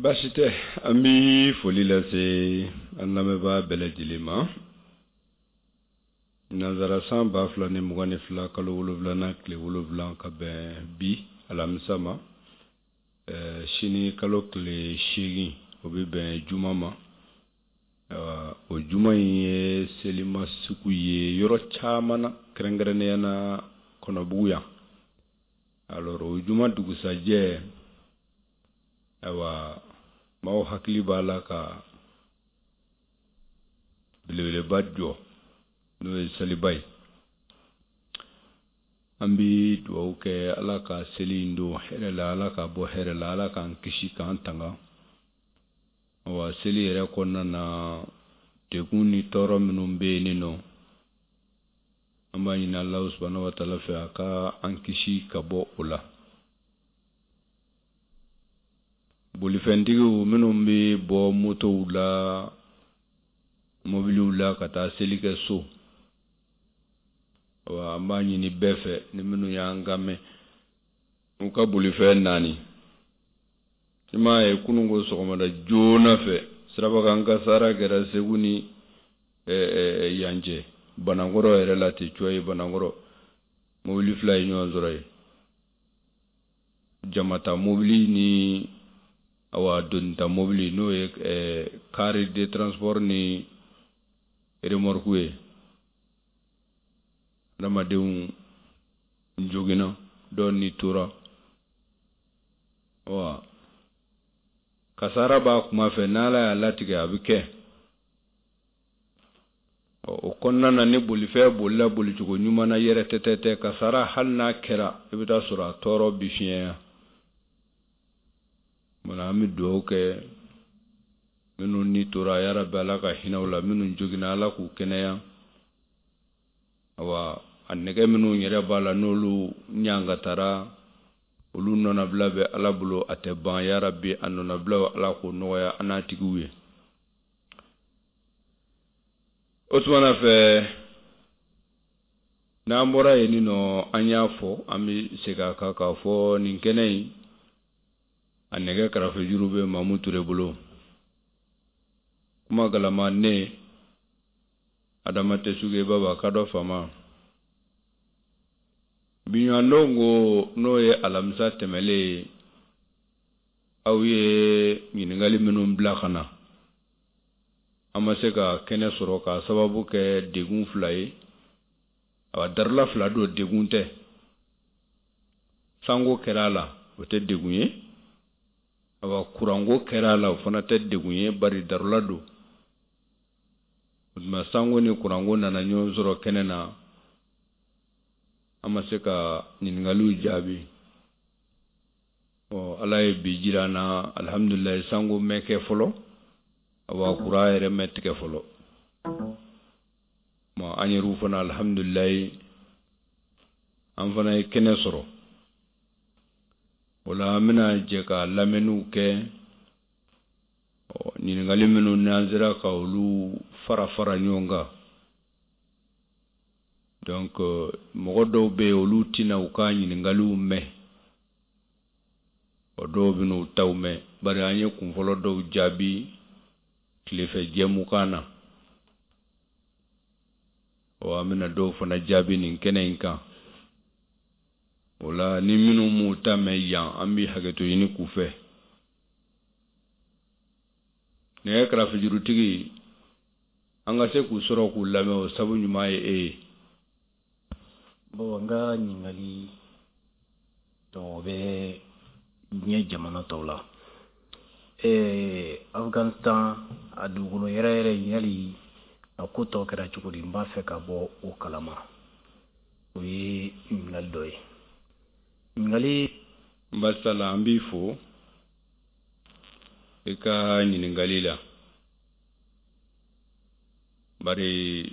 Baasi tɛ, an bɛ foli lase an lamɛnbaa bɛɛ lajɛlen ma. Nansara san 2022 kalo wolonwulanan tile wolonwula ka bɛn bi alamisa ma, sini kalo tile 8, o bɛ bɛn juma ma. O juma in ye selima sugu ye yɔrɔ caman na, kɛrɛnkɛrɛnnenya na Kɔnɔbugu yan. Alors o juma dugusajɛ, ayiwa, maaw hakili b'a la ka belebeleba jɔ, n'o ye seliba ye. An bɛ dugawu kɛ, Ala ka seli in don hɛrɛ la, Ala ka bɔ hɛrɛ la, Ala k'an kisi k'an tanga. Awa, seli yɛrɛ kɔnɔna na, degun ni tɔɔrɔ minnu bɛ yen nin nɔ, an b'a ɲini Alahu subahana wa taala fɛ, a ka an kisi ka bɔ o la. Bolifɛntigiw minnu bɛ bɔ motow la, mobiliw la ka taa seli kɛ so, awa, an b'a ɲini bɛɛ fɛ, ni minnu y'an kan mɛn, u ka bolifɛn naani. I m'a ye, kunun ko sɔgɔmada joona fɛ, sirabakan kasara kɛra Segu ni yan cɛ, Banankɔrɔ yɛrɛ la ten cɔ ye. Banankɔrɔ, mobili fila ye ɲɔgɔn sɔrɔ yen, jamata mobili ni awa donita mobili, n'o ye car de transport ni remorque ye. Adamadenw joginna, dɔw ni tora wa kasara b'a kuma fɛ. N'Ala y'a latigɛ, a bɛ kɛ. O kɔnɔna na, ni bolifɛn bolila bolicogo ɲuman na yɛrɛ tɛtɛtɛ, kasara hali n'a kɛra, i bɛ taa sɔrɔ a tɔɔrɔ bi fiɲɛya. Mana an bɛ dugawu kɛ minnu ni tora, yarabi Ala ka hinɛ u la. Minnu joginna, Ala k'u kɛnɛya. Awa, a nɛgɛ minnu yɛrɛ b'a la, n'olu ɲangatara, olu nɔnabila bɛ Ala bolo, a tɛ ban. Yarabi, a nɔnabila, Ala k'o nɔgɔya an n'a tigiw ye. O tuma na fɛ, n'an bɔra yen nin nɔ, an y'a fɔ, an bɛ segin a kan k'a fɔ nin kɛnɛ in, a nɛgɛ karafejuru bɛ Mamu Ture bolo. Kuma galama, ne Adama Tɛsuge Baba Kadɔ Fama. Biɲɔgɔndon ko, n'o ye alamisa tɛmɛlen ye, aw ye ɲininkali minnu bila ka na, an ma se ka kɛnɛ sɔrɔ k'a sababu kɛ degun fila ye. Awa, darula fila don, degun tɛ. Sanko kɛra a la, o tɛ degun ye. Awa, kuranko kɛra a la, o fana tɛ degun ye, bari darula don. O tuma, sanko ni kuranko nana ɲɔgɔn sɔrɔ kɛnɛ na, an ma se ka ɲininkaliw jaabi. Ɔ, Ala ye bi jira an na, alihamudulilayi, sanko mɛ kɛ fɔlɔ, awa, kuran yɛrɛ mɛ tigɛ fɔlɔ. An yɛrɛw fana, alihamudulilayi, an fana ye kɛnɛ sɔrɔ. O la, an bɛna jɛ ka lamɛnniw kɛ. Ɲininkali minnu n'an sera ka olu fara fara ɲɔgɔn kan, donc mɔgɔ dɔw bɛ yen, olu tɛna u ka ɲininkaliw mɛn. O dɔw bɛ n'u taw mɛn, bari an ye kunfɔlɔ dɔw jaabi tilefɛ jɛmukan na. Ɔ, an bɛna dɔw fana jaabi nin kɛnɛ in kan. O la, ni minnu m'u ta mɛn yan, an bɛ hakɛto ɲini k'u fɛ. Nɛgɛ karafejurutigi, an ka se k'u sɔrɔ k'u lamɛn, o sabu ɲuman ye e ye. Bon, n ka ɲininkali, donc o bɛ diɲɛ jamana tɔw la. Afghanistan, a dugukolo yɛrɛ yɛrɛ, yali a ko tɔ kɛra cogo di? N b'a fɛ ka bɔ o kalama. O ye ɲininkali dɔ ye. Ɲininkali Basala, an b'i fo i ka ɲininkali la, bari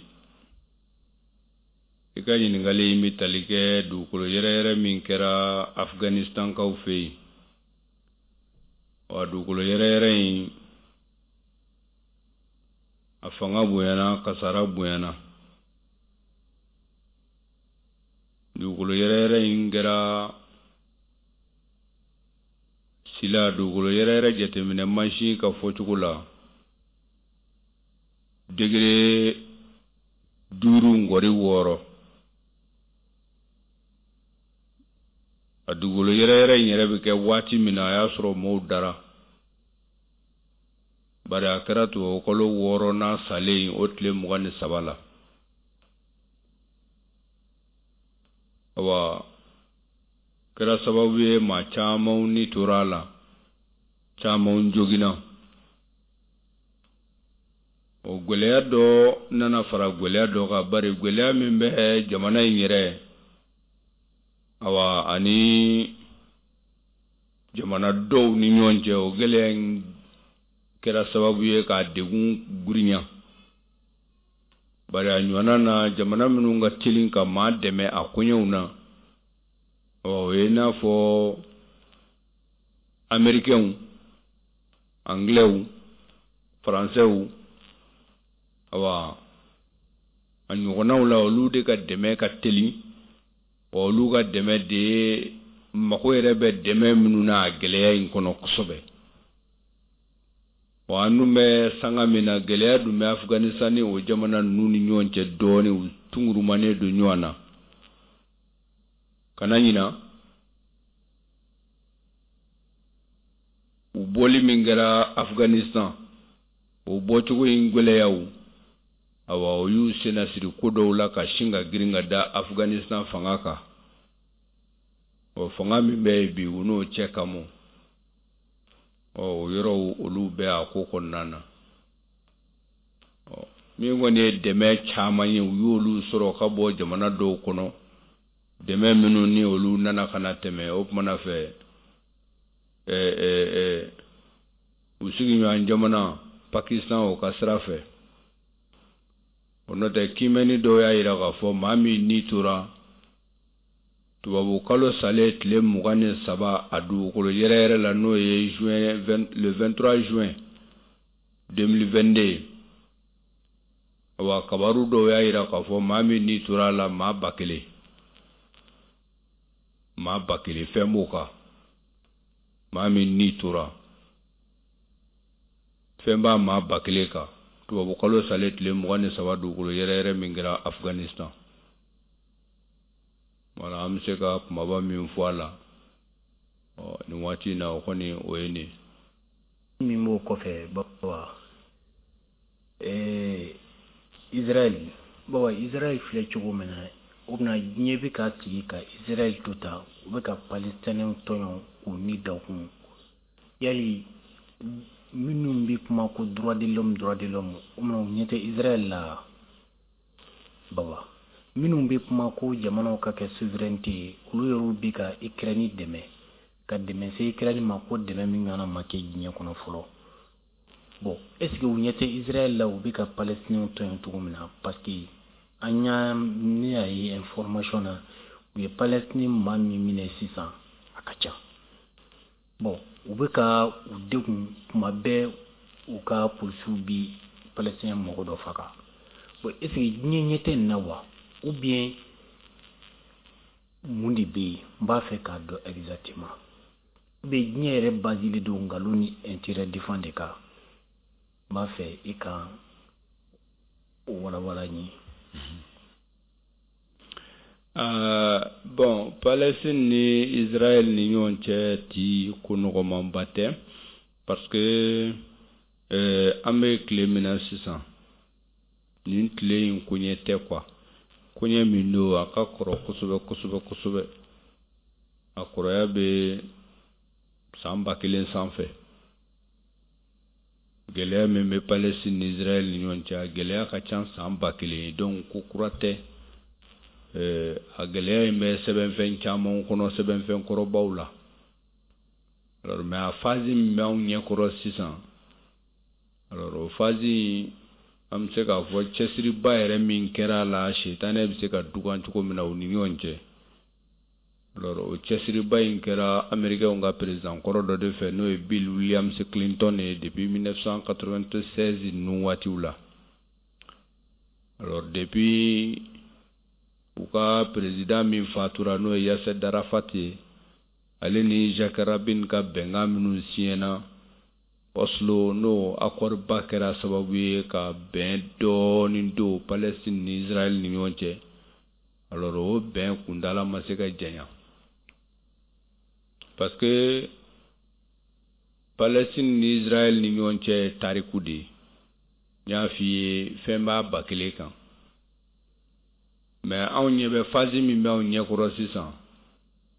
i ka ɲininkali in bɛ tali kɛ dugukolo yɛrɛyɛrɛ min kɛra Afganistankaw fɛ yen. Wa dugukolo yɛrɛyɛrɛ in, a fanga bonyana, kasara bonyana. Dugukolo yɛrɛyɛrɛ in kɛra Sila dugukolo yɛrɛyɛrɛ jateminɛ mansin ka fɔcogo la, degré 5.6. A dugukolo yɛrɛyɛrɛ in yɛrɛ bɛ kɛ waati min na, a y'a sɔrɔ mɔɔw dara, bari a kɛra tubabukalo wɔɔrɔnan salen o tile 23 la. Awa, kɛra sababu ye maa camanw ni tora a la, camanw joginna. O gwɛlɛya dɔ nana fara gwɛlɛya dɔ kan, bari gwɛlɛya min bɛ jamana in yɛrɛ, awa, ani jamana dɔw ni ɲɔgɔn cɛ, o gɛlɛya in kɛra sababu ye k'a degun girinya, bari a ɲɔgɔnna na jamana minnu ka teli ka maa dɛmɛ a koɲɛw na, o ye i n'a fɔ amerikɛnw, anglɛw, faransɛw, awa, a ɲɔgɔnnaw la, olu de ka dɛmɛ ka teli. Wa olu ka dɛmɛ de ye mago yɛrɛ bɛ dɛmɛ minnu na a gɛlɛya in kɔnɔ kosɛbɛ. Wa an dun bɛ sanga min na, gɛlɛya dun bɛ Afganistan ni o jamana ninnu ni ɲɔgɔn cɛ dɔɔnin, u tungurumanen don ɲɔgɔn na. Kana ɲina, u bɔli min kɛra Afganistan, o bɔcogo in gɛlɛyaw, awa, o y'u sennasiri ko dɔw la ka sin ka girin ka da Afganistan fanga kan. Ɔ, fanga min bɛ yen bi, u n'o cɛ ka mɔ. Ɔ, o yɔrɔw olu bɛ a ko kɔnɔna na. Ɔ, min kɔni ye dɛmɛ caman ye, u y'olu sɔrɔ ka bɔ jamana dɔw kɔnɔ, dɛmɛ minnu ni olu nana ka na tɛmɛ o kumana fɛ u sigiɲɔgɔn jamana Pakistan, o ka sira fɛ. O n'o tɛ, kiimɛni dɔw y'a jira k'a fɔ maa min ni tora tubabu kalo salen tile 23 a dugukolo yɛrɛyɛrɛ la, n'o ye juin, le 23 juin 2022. Awa, kabaru dɔw y'a jira k'a fɔ maa min ni tora a la, maa 1000, maa 1000 fɛn b'o kan. Maa min ni tora, fɛn b'a maa 1000 kan, tubabu kalo salen tile 23, dugukolo yɛrɛyɛrɛ min kɛra Afganistan. Wala, an bɛ se ka kumaba min fɔ a la, ɔ, nin waati in na, o kɔni o ye nin. Min b'o kɔfɛ, Baba, Israël, Baba, Israël filɛ cogo min na, o bɛna diɲɛ bɛ ka sigi ka Israël to ta, u bɛ ka Palestiniens tɔɲɔ k'u ni da kun. Yali minnu bɛ kuma ko droit de l'homme, droit de l'homme, o bɛna u ɲɛ tɛ Israël la? Baba, minnu bɛ kuma ko jamanaw ka kɛ souveraineté ye, olu yɛrɛw bɛ ka Ukraine dɛmɛ, ka dɛmɛ se Ukraine ma, ko dɛmɛ min ɲɔgɔnna ma kɛ diɲɛ kɔnɔ fɔlɔ. Bon, est ce que u ɲɛ tɛ Israël la, u bɛ ka Palestiniens tɔɲɔ cogo min na? Parce que an y'a ne y'a ye information na, u ye Palestine maa min minɛ sisan, a ka ca. Bon, u bɛ ka u degun tuma bɛɛ, u ka polisiw bi Palestinien mɔgɔ dɔ faga. Bon, est ce que diɲɛ ɲɛ tɛ nin na wa, ou bien mun de bɛ yen? N b'a fɛ k'a dɔn exactement. Ou bien diɲɛ yɛrɛ basé don nkalon ni intérêt défend de kan. N b'a fɛ i ka o walawala n ye. Bon, Palestine ni Israël ni ɲɔgɔn cɛ ti ko nɔgɔmanba tɛ, parce que an bɛ tile min na sisan, nin tile in koɲɛ tɛ quoi. Koɲɛ min don, a ka kɔrɔ kosɛbɛ kosɛbɛ kosɛbɛ. A kɔrɔya bɛ san 1000 sanfɛ. Gɛlɛya min bɛ Palestine ni Israël ni ɲɔgɔn cɛ, a gɛlɛya ka ca san 1000 ye. Donc ko kura tɛ. A gɛlɛya in bɛ sɛbɛnfɛn caman kɔnɔ, sɛbɛnfɛn kɔrɔbaw la. Alors, mais a phase min bɛ anw ɲɛkɔrɔ sisan, alors o phase in, an bɛ se k'a fɔ cɛsiriba yɛrɛ min kɛra a la, sitanɛ bɛ se ka dugan cogo min na u ni ɲɔgɔn cɛ. Alors o cɛsiriba in kɛra américain ka président kɔrɔ dɔ de fɛ, n'o ye Bill Williams Clinton ye, depuis 1996 ninnu waatiw la. Alors depuis u ka président min fatura, n'o ye Yasser Arafat ye. Ale ni Jacques Rabin ka bɛnkan minnu siɲɛna Oslo, n'o accord ba kɛra sababu ye ka bɛn dɔɔnin don Palestine ni Israël ni ɲɔgɔn cɛ. Alors o bɛn kuntaala ma se ka janya parce que Palestine ni Israël ni ɲɔgɔn cɛ ye tariku de ye. N y'a f'i ye, fɛn b'a 1000 kan, mais anw ɲɛ bɛ phase min bɛ anw ɲɛkɔrɔ sisan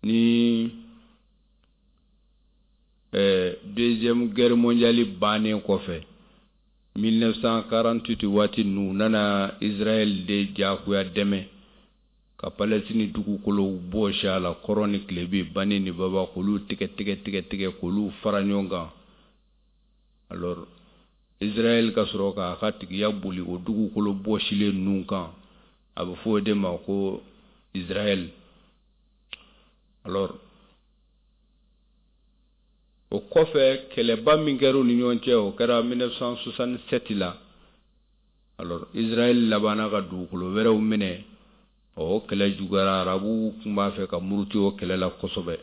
ni Deuxième Guerre mondiale bannen kɔfɛ, 1948 waati ninnu, u nana Israël de diyagoya dɛmɛ ka Palestine dugukolow bɔsi a la, kɔrɔn ni tilebin, bani ni baba, k'olu tigɛ tigɛ tigɛ tigɛ, k'olu fara ɲɔgɔn kan. Alors Israël ka sɔrɔ k'a ka tigiya boli o dugukolo bɔsilen ninnu kan. A bɛ fɔ o de ma ko Israël. Alors o kɔfɛ, kɛlɛba min kɛra u ni ɲɔgɔn cɛ, o kɛra 1967 la. Alors Israël labanna ka dugukolo wɛrɛw minɛ. O kɛlɛ juguyara, arabuw tun b'a fɛ ka muruti o kɛlɛ la kosɛbɛ.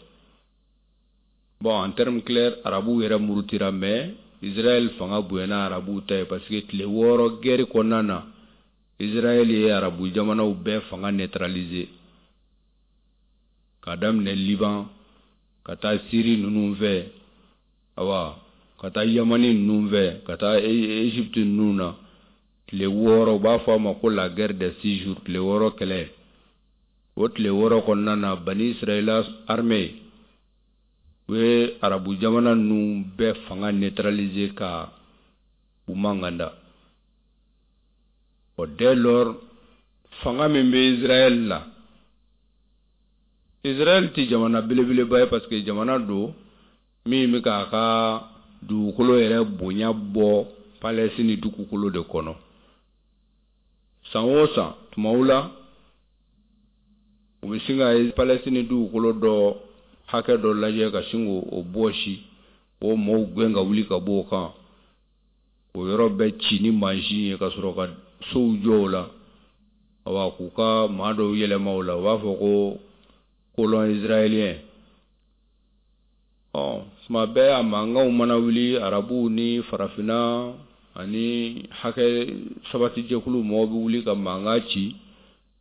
Bon, en terme clair, arabuw yɛrɛ murutira, mais Israël fanga bonyana arabuw ta ye, parce que tile 6 guerre kɔnɔna na, Israël ye arabu jamanaw bɛɛ fanga neutraliser, k'a daminɛ Liban ka taa Syrie ninnu fɛ, awa ka taa Yamani ninnu fɛ, ka taa Égypte ninnu na. Tile 6, u b'a fɔ a ma ko la guerre des 6 jours, tile 6 kɛlɛ. O tile 6 kɔnɔna na, Bani Israël armée u ye arabu jamana ninnu bɛɛ fanga neutraliser ka u manganda. O dès lors, fanga min bɛ Israël la, Israël tɛ jamana belebeleba ye, parce que jamana don min bɛ k'a ka dugukolo yɛrɛ bonya bɔ Palestine dugukolo de kɔnɔ san o san. Tumaw la, u bɛ sin ka Palestine dugukolo dɔ hakɛ dɔ lajɛ ka sin k'o bɔsi, o maaw gɛn ka wuli ka bɔ o kan, o yɔrɔ bɛɛ ci ni mansin ye, ka sɔrɔ ka sow jɔ o la, awa k'u ka maa dɔw yɛlɛma o la. U b'a fɔ ko colon israélien. Ɔ tuma bɛɛ a mankanw mana wuli, arabuw ni farafinna ani hakɛ sabatijɛkulu mɔgɔw bɛ wuli ka mankan ci,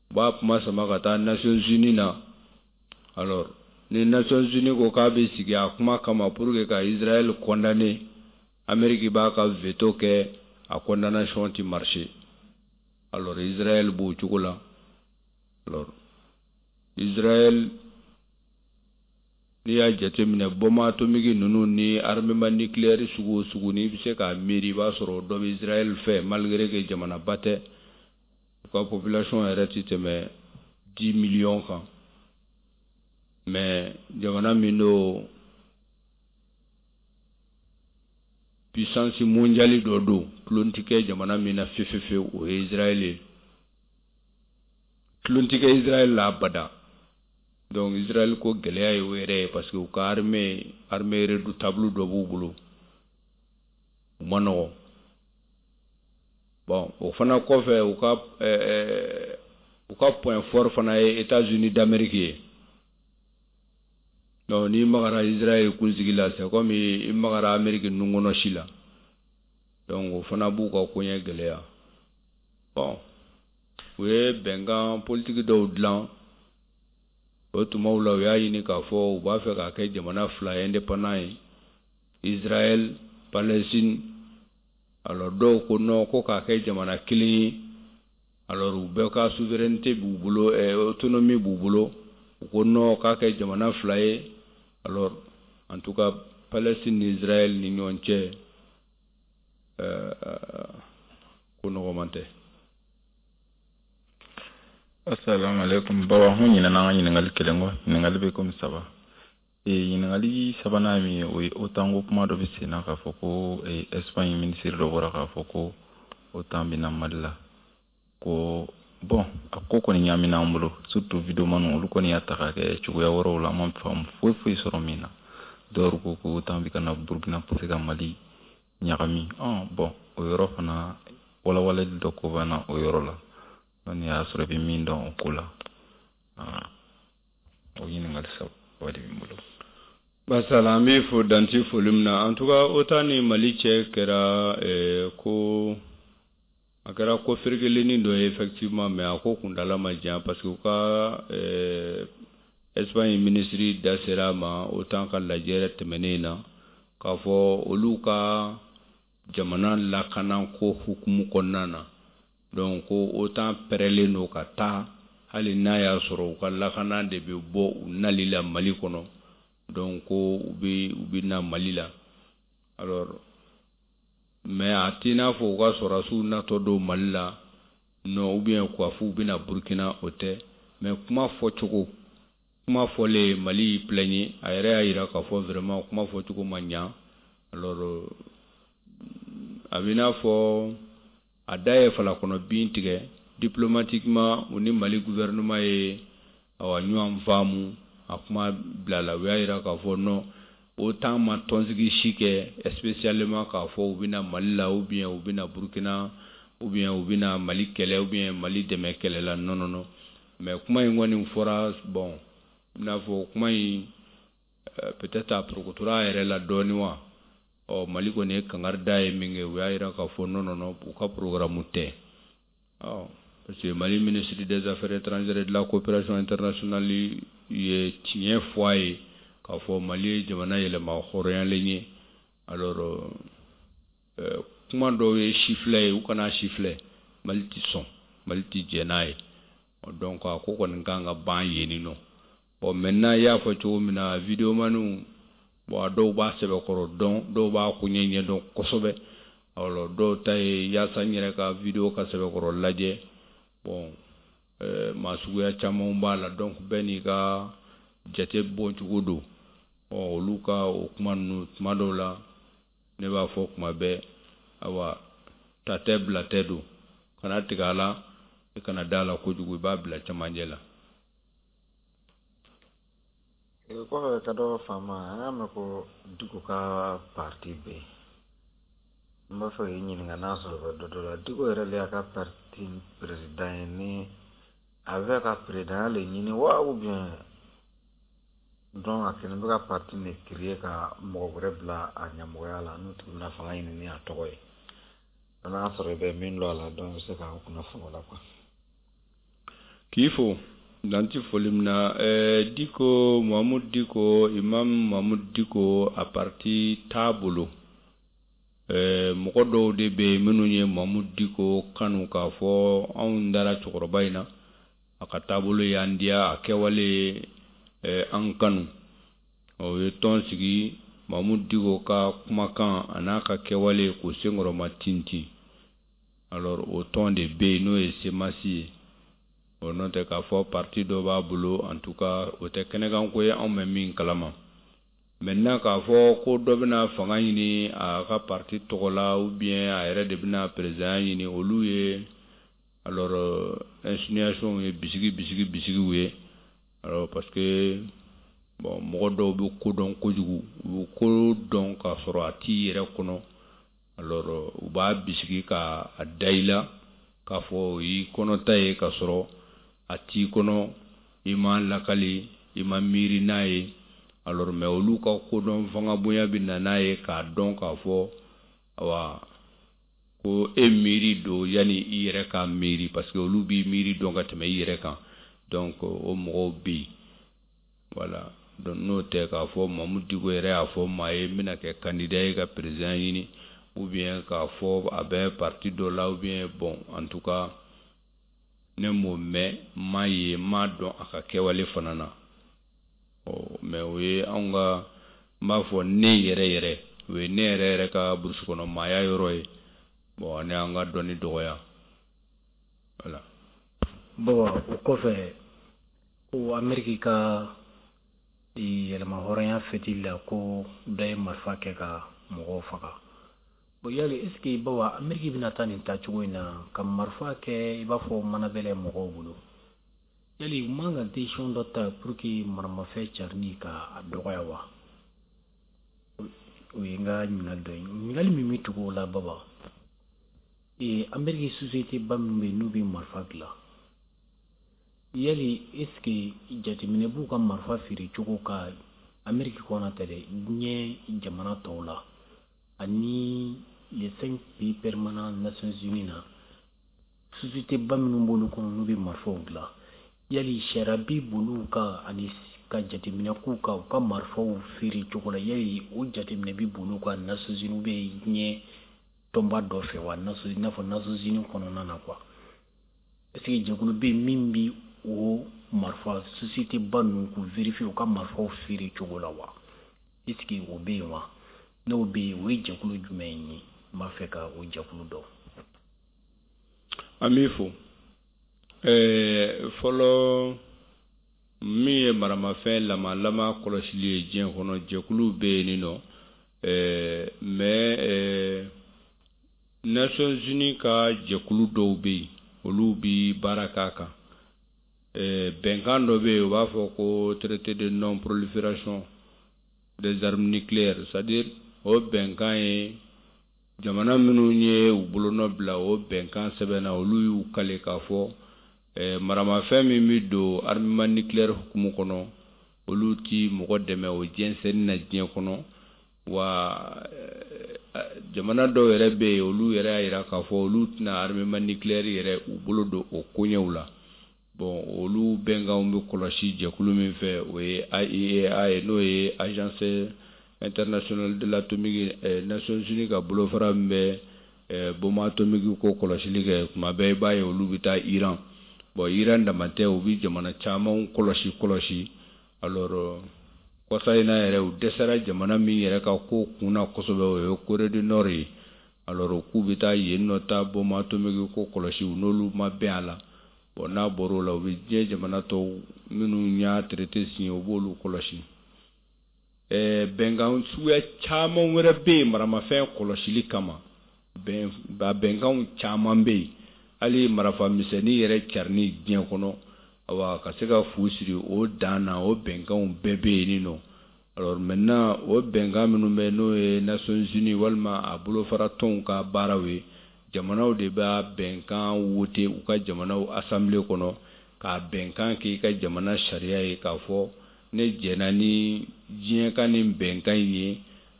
u b'a kuma sama ka taa Nations Unies na. Alors ni Nations Unies ko k'a bɛ sigi a kuma kama pour que ka Israël condamner, Amérique b'a ka veto kɛ, a condamnation ti marcher. Alors Israël b'o cogo la. Alors Israël, n'i y'a jateminɛ, bombe atomique ninnu ni armement nucléaire sugu o sugu n'i bɛ se k'a miiri, i b'a sɔrɔ dɔ bɛ Israël fɛ, malgré que jamanaba tɛ, u ka population yɛrɛ ti tɛmɛ 10 millions kan. Mais jamana min don, puissance mondiale dɔ don, tulon tɛ kɛ jamana min na fefefewu, o ye Israël ye. Tulon tɛ kɛ Israël la abada. Donc Israël ko gɛlɛya ye o yɛrɛ ye, parce que u ka armée redoutable dɔ b'u bolo, u ma nɔgɔn. Bon, o fana kɔfɛ, u ka point fort fana ye États-Unis d'Amérique ye. Donc n'i magara Israël kunsigi la, c'est comme i magara Amérique nunkɔnɔ si la. Donc o fana b'u ka koɲɛ gɛlɛya. Bon, u ye bɛnkan politique dɔw dilan o tumaw la. U y'a ɲini k'a fɔ u b'a fɛ k'a kɛ jamana fila indépendant ye, Israël, Palestine. Alors dɔw ko non, ko k'a kɛ jamana kelen ye. Alors u bɛɛ ka souveraineté b'u bolo, autonomie b'u bolo. U ko non, k'a kɛ jamana fila ye. Alors en tout cas, Palestine ni Israël ni ɲɔgɔn cɛ, ko nɔgɔman tɛ. Assalamu alaikum baba. Hun ɲinɛna an ka ɲininkali kelen kɔ. Ɲininkali bɛ komi saba. Ɲininkali sabanan min ye, o ye OTAN ko kuma dɔ bɛ sen na k'a fɔ ko Espagne minisiri dɔ bɔra k'a fɔ ko OTAN bɛ na Mali la. Ko bon, a ko kɔni ɲaamina an bolo, surtout videomaniw, olu kɔni y'a ta k'a kɛ cogoya wɛrɛw la, an ma faamu foyi foyi sɔrɔ min na. Dɔw ko ko OTAN bɛ ka na Burukina pour ka Mali ɲagami. Bon, o yɔrɔ fana walawalali dɔ ko bɛ na o yɔrɔ la. Ni y'a sɔrɔ i bɛ min dɔn o ko la, o ɲininkali saba de bɛ n bolo. Basala, an b'i fo danti foli min na. En tout cas, OTAN ni Mali cɛ kɛra ko a kɛra ko ferekelenni dɔ ye effectivement, mais a ko kuntala ma jan, parce que u ka Espagne ministre da sera a ma OTAN ka lajɛ tɛmɛnen na, k'a fɔ olu ka jamana lakana ko hukumu kɔnɔna na, donc ko OTAN pɛrɛlen don ka taa, hali n'a y'a sɔrɔ u ka lakana de bɛ bɔ u nali la Mali kɔnɔ. Donc ko u bɛ na Mali la. Alors, mais a t'i n'a fɔ u ka sɔrɔdasiw natɔ don Mali la, non, ou bien k'a fɔ u bɛna Burukina, o tɛ. Mais kuma fɔcogo, kuma fɔlen, Mali y'i plaigner, a yɛrɛ y'a jira k'a fɔ vraiment kuma fɔcogo ma ɲa. Alors, a bɛ n'a fɔ a da ye falakɔnɔ bin tigɛ. Diplomatiquement, u ni Mali gouvernement ye awa ɲɔgɔn faamu, a kuma bilala. U y'a jira k'a fɔ non, OTAN ma tɔnsigi si kɛ spécialement k'a fɔ u bɛna Mali la, ou bien u bɛna Burukina, ou bien u bɛna Mali kɛlɛ, ou bien Mali dɛmɛ kɛlɛ la. Non, non, non. Mais kuma in kɔni fɔra, bon, i n'a fɔ kuma in peut-être a porokotora a yɛrɛ la dɔɔni wa. Ɔ, Mali kɔni ye kangari da ye min kɛ, u y'a jira k'a fɔ non, non, non, u ka programme tɛ. Ɔ, parce que Mali ministre des Affaires étrangères et de la Coopération internationale ye tiɲɛ fɔ a ye k'a fɔ Mali ye jamana yɛlɛma hɔrɔnyalen ye. Alors, kuma dɔw ye sifilɛ ye, u kana sifilɛ, Mali ti sɔn, Mali ti jɛn n'a ye. Donc a ko kɔni kan ka ban yen nɔ. Bon, maintenant, i y'a fɔ cogo min na, videomaniw, bon, a dɔw b'a sɛbɛkɔrɔ dɔn, dɔw b'a koɲɛ ɲɛdɔn kosɛbɛ. Alors, dɔw ta ye yaasa n yɛrɛ ka vidéo ka sɛbɛkɔrɔ lajɛ. Bon, maa suguya camanw b'a la, donc bɛɛ n'i ka jate bɔcogo don. Ɔ, olu ka o kuma ninnu, tuma dɔw la, ne b'a fɔ kuma bɛɛ, awa, ta tɛ bila tɛ don, kana tigɛ a la, i kana da a la kojugu, i b'a bila cɛmancɛ la. Kɔfɛ ka dɔ faama, an y'a mɛn ko Diko ka parti bɛ yen. N b'a fɛ k'i ɲininka n'a sɔrɔ bɛ dɔ dɔ la. Diko yɛrɛ le y'a ka parti président ye, ni a bɛ ka président le ɲini wa, ou bien donc a kɛlen bɛ ka parti de créer ka mɔgɔ wɛrɛ bila a ɲɛmɔgɔya la, n'o tigi bɛna fanga ɲini ni a tɔgɔ ye? N'a sɔrɔ i bɛ min dɔn a la, donc i bɛ se k'an kunnafoni o la quoi. K'i fo danti foli min na. Diko, Mamudu Diko, Imam Mamudu Diko, a parti t'a bolo. Mɔgɔ dɔw de bɛ yen minnu ye Mamudu Diko kanu, k'a fɔ anw dara cɛkɔrɔba in na, a ka taabolo y'an diya, a kɛwale an kanu. O ye tɔn sigi, Mamudu Diko ka kumakan a n'a ka kɛwale k'o senkɔrɔma tintin. Alors, o tɔn de bɛ yen, n'o ye CMAS ye. O n'o tɛ k'a fɔ parti dɔ b'a bolo, en tout cas, o tɛ kɛnɛkanko ye, anw bɛ min kalama. Maintenant, k'a fɔ ko dɔ bɛna fanga ɲini a ka parti tɔgɔ la, ou bien a yɛrɛ de bɛna président ɲini, olu ye alors insinuation ye, bisigi bisigi bisigiw ye. Alors, parce que bon, mɔgɔ dɔw bɛ ko dɔn kojugu, u bɛ ko dɔn k'a sɔrɔ a t'i yɛrɛ kɔnɔ. Alors, u b'a bisigi ka a da i la k'a fɔ o y'i kɔnɔta ye, k'a sɔrɔ a t'i kɔnɔ, i ma lakali, i ma miiri n'a ye. Alors, mais olu ka kodɔn fanga bonya bɛ na n'a ye k'a dɔn k'a fɔ awa ko e miiri don yanni i yɛrɛ ka miiri, parce que olu b'i miiri dɔn ka tɛmɛ i yɛrɛ kan. Donc o mɔgɔw bɛ yen, voilà. Donc n'o tɛ k'a fɔ Mamudu Diko yɛrɛ y'a fɔ maa ye n bɛna kɛ candidat ye ka président ɲini, ou bien k'a fɔ a bɛ parti dɔ la, ou bien, bon, en tout cas, ne m'o mɛn, n m'a ye, n m'a dɔn a ka kɛwale fana na. Ɔ, mais o ye anw ka, n b'a fɔ ne yɛrɛ yɛrɛ, o ye ne yɛrɛ yɛrɛ ka burusi kɔnɔ maaya yɔrɔ ye. Bon, ani an ka dɔnni dɔgɔya, voilà. Bon, o kɔfɛ ko Ameriki ka yɛlɛma hɔrɔnya fɛtili la, ko dɔ ye marifa kɛ ka mɔgɔw faga. Bon, yali est ce que, bawa, Ameriki bɛna taa nin taacogo in na ka marifa kɛ i b'a fɔ manabɛlɛ mɔgɔw bolo, yali u man ka décision dɔ ta pour que maramafɛn carinni ka a dɔgɔya wa? O ye n ka ɲininkali dɔ ye. Ɲininkali min bɛ tugu o la, baba, Ameriki société ba min bɛ yen n'u bɛ marifa dilan, yali est ce que jateminɛ b'u ka marifa feere cogo ka Ameriki kɔnɔ tɛ dɛ, diɲɛ jamana tɔw la, ani les 5 pays permanents Nations Unies na, société ba minnu b'olu kɔnɔ n'u bɛ marifaw dilan, yali sariya bi boli u kan ani ka jateminɛ k'u kan u ka marifaw feere cogo la? Yali o jateminɛ bi boli u kan Nations Unies bɛ diɲɛ tɔnba dɔ fɛ wa, i n'a fɔ Nations Unies kɔnɔna na quoi? Est ce que jɛkulu bɛ yen min bi o marifa société ba ninnu k'u vérifier u ka marifaw feere cogo la wa? Est ce que o bɛ yen wa? N'o bɛ yen, o ye jɛkulu jumɛn ye? N b'a fɛ ka o jɛkulu dɔn. An b'i fo. Fɔlɔ, min ye maramafɛn lamalama kɔlɔsili ye diɲɛ kɔnɔ, jɛkulu bɛ yen nɔ, mais Nations Unies ka jɛkulu dɔw bɛ yen, olu bi baara k'a kan. Bɛnkan dɔ bɛ yen, u b'a fɔ ko traité de non prolifération des armes nucléaires, c'est à dire o bɛnkan ye jamana minnu ye u bolonɔ bila o bɛnkan sɛbɛnna, olu y'u kale k'a fɔ maramafɛn min bɛ don armement nucléaire hukumu kɔnɔ, olu ti mɔgɔ dɛmɛ o jɛnsɛnni na diɲɛ kɔnɔ. Wa jamana dɔw yɛrɛ bɛ yen, olu yɛrɛ y'a jira k'a fɔ olu tɛna armement nucléaire yɛrɛ u bolo don o koɲɛw la. Bon, olu bɛnkanw bɛ kɔlɔsi jɛkulu min fɛ, o ye AIEA ye, n'o ye Agence internationale de l'atomique, Nations Unies ka bolofara min bɛ bombe atomique ko kɔlɔsili kɛ. Tuma bɛɛ i b'a ye olu bɛ taa Iran. Bon, Iran dama tɛ, u bɛ jamana caman kɔlɔsi kɔlɔsi. Alors, kɔsa in na yɛrɛ, u dɛsɛra jamana min yɛrɛ ka ko kun na kosɛbɛ, o ye Corée du Nord ye. Alors, k'u bɛ taa yen nɔ taa bombe atomique ko kɔlɔsi, u n'olu ma bɛn a la. Bon, n'a bɔr'o la, u bɛ diɲɛ jamana tɔw minnu y'a traité signé, u b'olu kɔlɔsi. Bɛnkan suguya caman wɛrɛ bɛ yen maramafɛn kɔlɔsili kama. Bɛn ba bɛnkanw caman bɛ yen, hali marafa misɛnnin yɛrɛ carinni diɲɛ kɔnɔ, awa, ka se ka fu siri o dan na, o bɛnkanw bɛɛ bɛ yen nɔ. Alors maintenant, o bɛnkan minnu bɛ, n'o ye Nations Unies walima a bolofara tɔnw ka baaraw ye, jamanaw de b'a bɛnkan wote u ka jamanaw assemblée kɔnɔ k'a bɛnkan k'i ka jamana sariya ye, k'a fɔ ne jɛnna ni diɲɛ ka nin bɛnkan in ye,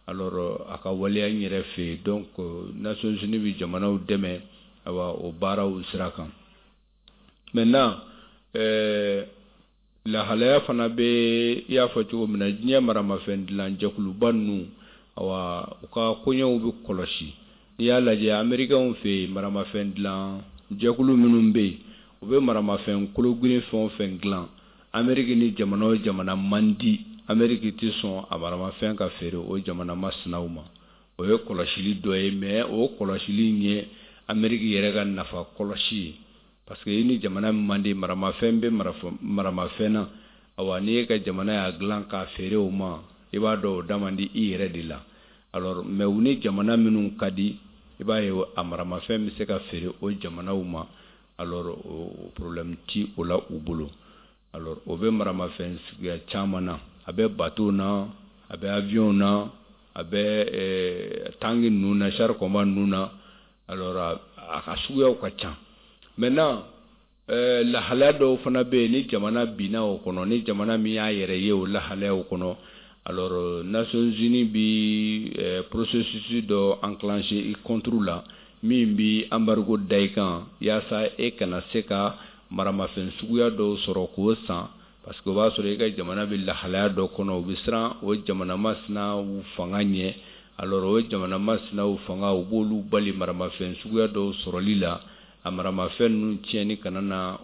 alors a ka waleya n yɛrɛ fɛ yen. Donc Nations Unies bɛ jamanaw dɛmɛ, awa, o baaraw sira kan. Maintenant, lahalaya fana bɛ, i y'a fɔ cogo min na, diɲɛ maramafɛn dilan jɛkuluba ninnu, awa, u ka koɲɛw bɛ kɔlɔsi. N'i y'a lajɛ, Américains fɛ yen, maramafɛn dilan jɛkulu minnu bɛ yen, u bɛ maramafɛn kologirin fɛn o fɛn dilan, Amérique ni jamana o jamana man di, Amérique tɛ sɔn a maramafɛn ka feere o jamana masinaw ma. O ye kɔlɔsili dɔ ye, mais o kɔlɔsili in ye Amérique yɛrɛ ka nafa kɔlɔsi ye, parce que i ni jamana min man di, maramafɛn bɛ maramafɛn na, awa, n'i ye ka jamana y'a dilan k'a feere o ma, i b'a dɔn o da man di i yɛrɛ de la. Alors, mais u ni jamana minnu ka di, i b'a ye a maramafɛn bɛ se ka feere o jamanaw ma. Alors o problème ti o la u bolo. Alors o bɛ maramafɛn suguya caman na, a bɛ bateau na, a bɛ avion na, a bɛ tanki ninnu na, char combat ninnu na. Alors a ka suguyaw ka ca. Maintenant, lahalaya dɔw fana bɛ yen, ni jamana binna o kɔnɔ, ni jamana min y'a yɛrɛ ye o lahalayaw kɔnɔ, alors Nations Unies bi processus dɔ enclencher i contre la, min bi embargo da i kan, yaasa e kana se ka maramafɛn suguya dɔw sɔrɔ k'o san, parce que o b'a sɔrɔ i ka jamana bɛ lahalaya dɔ kɔnɔ, u bɛ siran o jamana masinaw fanga ɲɛ. Alors o jamana masinaw fanga, u b'olu bali maramafɛn suguya dɔw sɔrɔli la, a maramafɛn ninnu tiɲɛni kana na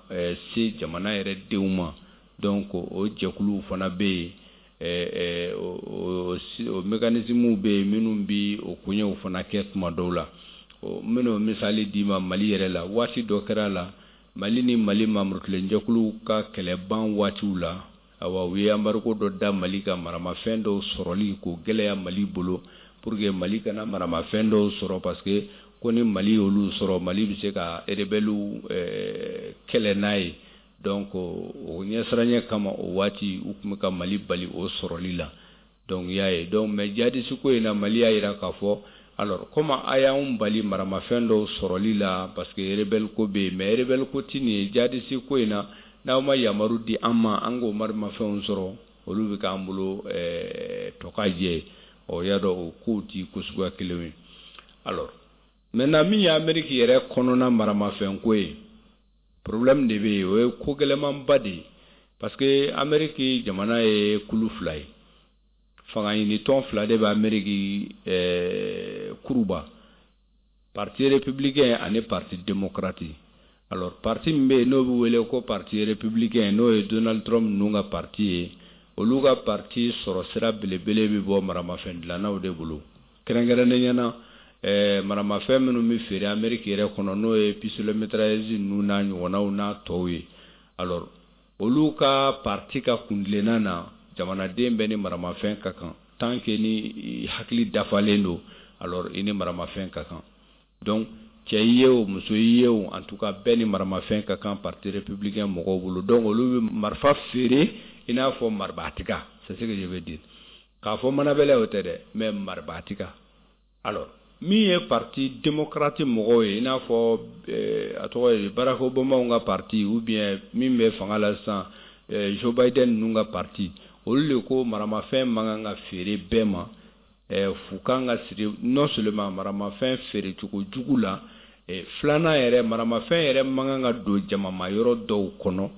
se jamana yɛrɛ denw ma. Donc o jɛkuluw fana bɛ yen, o mécanismes bɛ yen minnu bi o koɲɛw fana kɛ tuma dɔw la. N bɛna o misali d'i ma Mali yɛrɛ la. Waati dɔ kɛra la, Mali ni Mali mamurukilenjɛkuluw ka kɛlɛban waatiw la, awa, u ye embargo dɔ da Mali ka maramafɛn dɔw sɔrɔli k'o gɛlɛya Mali bolo, pour que Mali kana maramafɛn dɔw sɔrɔ, parce que ko ni Mali y'olu sɔrɔ, Mali bɛ se ka rebelles kɛlɛ n'a ye. Donc o ɲɛsiranɲɛ kama, o waati u tun bɛ ka Mali bali o sɔrɔli la. Donc i y'a ye. Donc mais djihadiste ko in na, Mali y'a jira k'a fɔ, alors comme a y'anw bali maramafɛn dɔw sɔrɔli la parce que rebelle ko bɛ yen, mais rebelle ko ti nin ye, djihadiste ko in na, n'aw ma yamaru di an ma an k'o maramafɛnw sɔrɔ. Olu bɛ k'an bolo tɔ ka jɛ ye. Ɔ, y'a dɔn, o kow ti ko suguya kelen ye. Alors maintenant, min ye Amérique yɛrɛ kɔnɔna maramafɛnko ye, problème de bɛ yen. O ye ko gɛlɛmanba de ye, parce que Amérique jamana ye kulu fila ye, fanga ɲini tɔn fila de bɛ Amérique kuruba: parti républicain ani parti démocrate. Alors parti min bɛ yen, n'o bɛ wele ko parti républicain, n'o ye Donald Trump ninnu ka parti ye, olu ka parti sɔrɔ sira belebele bɛ bɔ maramafɛn dilannaw de bolo, kɛrɛnkɛrɛnnenya na maramafɛn minnu bɛ feere Amérique yɛrɛ kɔnɔ, n'o ye pistolet mitrailleuse ninnu n'a ɲɔgɔnnaw n'a tɔw ye. Alors olu ka parti ka kuntilenna na, jamanaden bɛɛ ni maramafɛn ka kan, tant que ni hakili dafalen don, alors i ni maramafɛn ka kan. Donc cɛ i ye o, muso i ye o, en tout cas bɛɛ ni maramafɛn ka kan parti républicain mɔgɔw bolo. Donc olu bɛ marifa feere i n'a fɔ maribaatiga, c'est ce que je veux dire. K'a fɔ manabɛlɛ, o tɛ dɛ, mais maribaatiga. Alors min ye parti démocrate mɔgɔw ye, i n'a fɔ a tɔgɔ ye Barack Obama ka parti, ou bien min bɛ fanga la sisan, Joe Biden ninnu ka parti, olu de ko maramafɛn man kan ka feere bɛɛ ma, fu kan ka siri non seulement maramafɛn feere cogo jugu la, filanan yɛrɛ, maramafɛn yɛrɛ man kan ka don jamama yɔrɔ dɔw kɔnɔ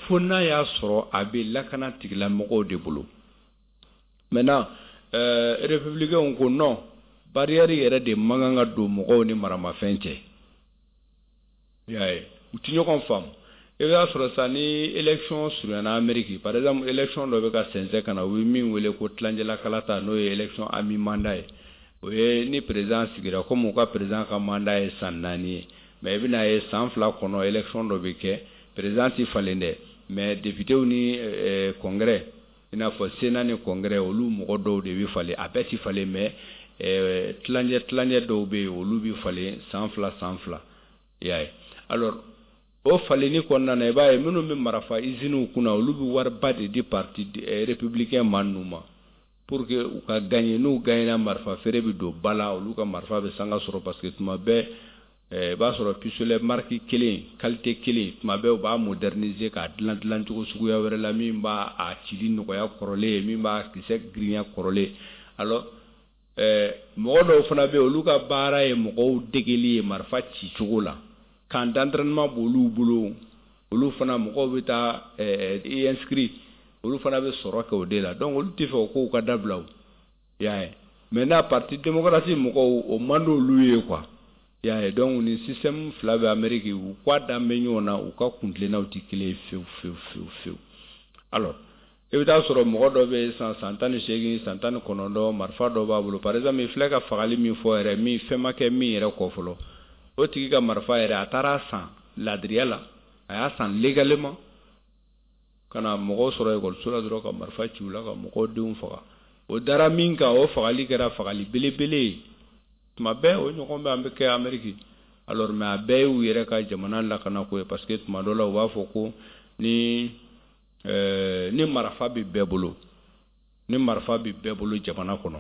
fo n'a y'a sɔrɔ a bɛ lakana tigilamɔgɔw de bolo. Maintenant républicains ko non, barrière yɛrɛ de man kan ka don mɔgɔw ni maramafɛn cɛ. I y'a ye, u ti ɲɔgɔn faamu. I b'a sɔrɔ sisan, ni élection surunyana Amérique, par exemple élection dɔ bɛ ka sɛnsɛn ka na, u bɛ min wele ko tilancɛla kalata, n'o ye élection à mi-mandat ye. O ye ni président sigira, komi u ka président ka mandat ye san 4 ye, mais i bɛna ye san 2 kɔnɔ, élection dɔ bɛ kɛ, président ti falen dɛ, mais députés ni congrès, i n'a fɔ sénat ni congrès, olu mɔgɔ dɔw de bɛ falen. A bɛɛ ti falen, mais tilancɛ tilancɛ dɔw bɛ yen, olu bɛ falen san 2 san 2, i y'a ye. Alors o falenni kɔnɔna na, i b'a ye minnu bɛ marifa usines kunna, olu bɛ wariba de di parti républicain maa ninnu ma pour que u ka gagner. N'u gagnera, marifa feere bɛ don ba la, olu ka marifa bɛ sanga sɔrɔ, parce que tuma bɛɛ i b'a sɔrɔ pistolet marque kelen, qualité kelen, tuma bɛɛ u b'a moderniser k'a dilan dilancogo suguya wɛrɛ la, min b'a a cili nɔgɔya kɔrɔlen ye, min b'a kisɛ girinya kɔrɔlen. Alors mɔgɔ dɔw fana bɛ yen, olu ka baara ye mɔgɔw degeli ye marifa cicogo la, camp d'entraînement b'olu bolo. Olu fana mɔgɔw bɛ taa i inscrit, olu fana bɛ sɔrɔ kɛ o de la. Donc olu tɛ fɛ o kow ka dabila o, i y'a ye. Maintenant parti démocrate mɔgɔw, o man d'olu ye quoi, i y'a ye. Donc ni système fila bɛ Amérique, u k'a dan bɛ ɲɔgɔn na, u ka kuntilennaw tɛ kelen ye fewu fewu fewu fewu. Alors i bɛ taa sɔrɔ mɔgɔ dɔ bɛ yen sisan, san 18, san 19, marifa dɔ b'a bolo. Par exemple, i filɛ ka fagali min fɔ yɛrɛ, min fɛn ma kɛ min yɛrɛ kɔ fɔlɔ, o tigi ka marifa yɛrɛ, a taara san ladiriya la, a y'a san légalement, ka na mɔgɔw sɔrɔ ekɔliso la dɔrɔn ka marifa ci u la ka mɔgɔw denw faga. O dara min kan, o fagali kɛra fagali belebele ye. Tuma bɛɛ o ɲɔgɔn bɛ an bɛ kɛ Amérique. Alors mais a bɛɛ y'u yɛrɛ ka jamana lakanako ye, parce que tuma dɔ la u b'a fɔ ko ni marifa bɛ bɛɛ bolo, ni marifa bɛ bɛɛ bolo jamana kɔnɔ,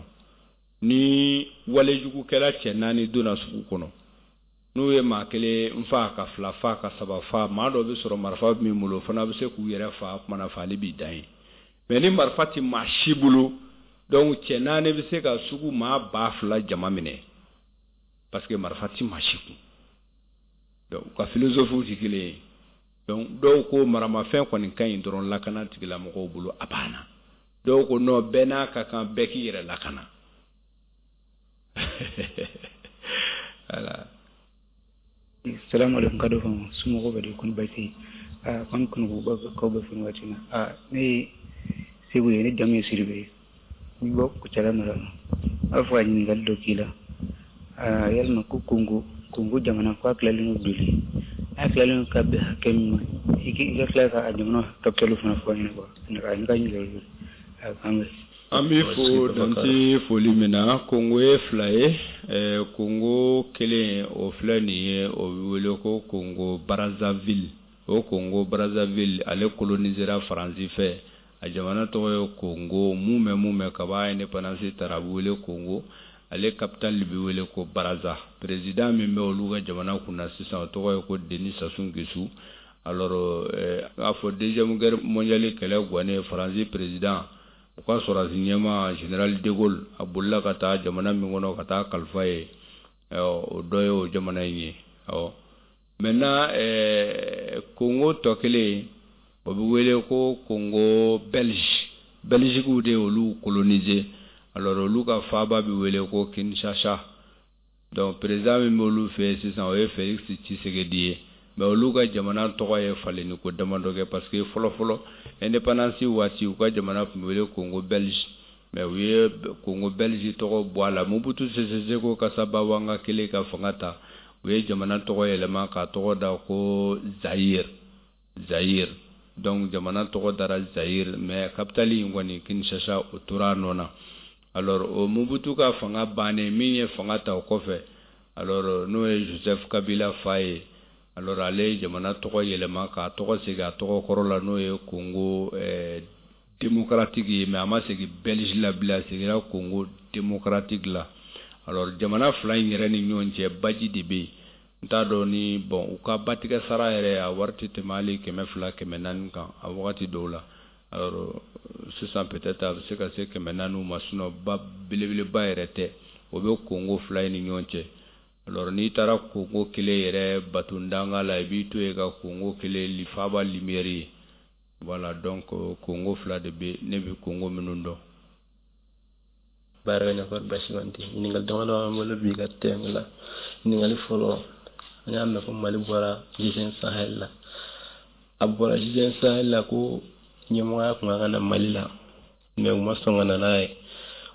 ni walejugukɛla cɛ naani donna sugu kɔnɔ, n'u ye maa kelen fa, ka fila fa, ka saba fa, maa dɔ bɛ sɔrɔ marifa min bolo, o fana bɛ se k'u yɛrɛ fa, kumana faali b'i dan ye. Mais ni marifa tɛ maa si bolo, donc cɛ naani bɛ se ka sugu maa 2000 jama minɛ, parce que marifa tɛ maa si kun. Donc u ka philosophie tɛ kelen ye. Donc dɔw ko maramafɛn kɔni ka ɲi dɔrɔn lakana tigilamɔgɔw bolo, a banna. Dɔw ko non, bɛɛ n'a ka kan, bɛɛ k'i yɛrɛ lakana. Voilà. Salamu alaikum, ka dɔ somɔgɔw bɛ di? Kɔni baasi tɛ? Kɔni kɔni k'aw bɛ fɛn waati na. Ne ye Segu ye, ne jamu ye Sidibe ye, n bɔ Kucala mara la. N b'a fɛ ka ɲininkali dɔ k'i la. Yalima ko Kongo jamana ko a tilalen don joli? N'a tilalen don ka bɛn hakɛ min ma, i ka tila ka jamana capitale fana fɔ an ɲɛna quoi. Ne ka ɲininkali k'an bɛn. An b'i fo dante foli min na. Kongo ye fila ye. Kongo kelen, o filɛ nin ye, o bɛ wele ko Kongo Brazzaville. O Kongo Brazzaville, ale colonisera Faransi fɛ. A jamana tɔgɔ ye Kongo mun mɛn kaba indépendance tara, a bɛ wele Kongo. Ale capitale bɛ wele ko Brazza. Président min bɛ olu ka jamana kunna sisan, o tɔgɔ ye ko Denis Sassou Nguesso. Alors n'a fɔ deuxième guerre mondiale kɛlɛ gannen, Faransi président U ka sɔrɔdasi ɲɛmaa général de Gaulle, a bolila ka taa jamana min kɔnɔ ka taa kalifa ye, o dɔ ye o jamana in ye. Awɔ, maintenant Congo tɔ kelen, o bɛ wele ko Congo belge. Belgique de y'olu coloniser. Alors olu ka faaba bɛ wele ko Kinshasa. Donc président min b'olu fɛ yen sisan, o ye Félix Tshisekedi ye. Mais olu ka jamana tɔgɔ ye falenni ko damadɔ kɛ, parce que fɔlɔ fɔlɔ, indépendance waati, u ka jamana tun bɛ wele Congo belge, mais u ye Congo belge tɔgɔ bɔ a la. Mobutu Sese Seko Kasaba Wanga kelen ka fanga ta, u ye jamana tɔgɔ yɛlɛma k'a tɔgɔ da ko Zaïre, Zaïre. Donc jamana tɔgɔ dara Zaïre, mais capitale in kɔni, Kinshasa, o tora a nɔ na. Alors o Mobutu ka fanga bannen, min ye fanga ta o kɔfɛ, alors n'o ye Joseph Kabila fa ye, alors ale ye jamana tɔgɔ yɛlɛma k'a tɔgɔ segin a tɔgɔ kɔrɔ la, n'o ye Congo démocratique ye. Mais a ma segin belge la bilen, a seginna Congo démocratique la. Alors jamana fila in yɛrɛ ni ɲɔgɔn cɛ, baji de bɛ yen. N t'a dɔn ni, bon, u ka batigɛ sara yɛrɛ, a wari tɛ tɛmɛ hali 200, 400 kan a wagati dɔw la. Alors sisan peut-être a bɛ se ka se 400 ma, sinon ba belebeleba yɛrɛ tɛ, o bɛ Congo fila in ni ɲɔgɔn cɛ. Alors n'i taara Congo kelen yɛrɛ batondanga la, i b'i to yen ka Congo kelen faaba lumière ye. Voilà, donc Congo fila de bɛ, ne bɛ Congo minnu dɔn. Baara ɲɛfɔ basi man tɛ. Ɲininkali damadɔ b'an bolo bi ka tɛmɛ la. Ɲininkali fɔlɔ, an y'a mɛn ko Mali bɔra G5 Sahel la. A bɔra G5 Sahel la ko ɲɛmɔgɔya tun ka kan na Mali la, mais u ma sɔn ka na n'a ye.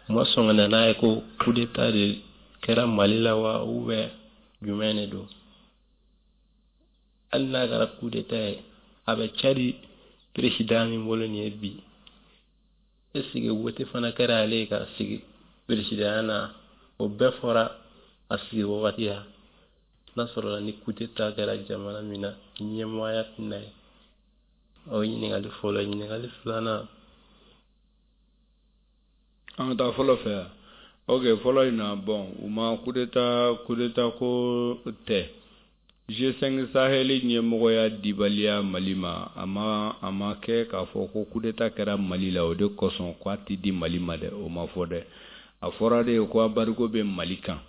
U ma sɔn ka na n'a ye ko coup d'état de kɛra Mali la wa, ou bien jumɛn de don? Hali n'a kɛra coup d'état ye, a bɛ Tchad président min bolo nin ye bi, est ce que wote fana kɛra ale ye ka sigi président na? O bɛɛ fɔra a sigi wagati la. N'a sɔrɔla ni coup d'état kɛra jamana min na, ɲɛmɔgɔya tɛ na ye. O ye ɲininkali fɔlɔ ye. Ɲininkali filanan. An ka taa fɔlɔ fɛ yan. Ok, fɔlɔ in na, bon, u ma coup d'état, coup d'état ko tɛ. G5 Sahel ɲɛmɔgɔya dibaliya Mali ma, a ma kɛ k'a fɔ ko coup d'état kɛra Mali la, o de kosɔn k'a ti di Mali ma dɛ. O ma fɔ dɛ. A fɔra de ko embargo bɛ Mali kan,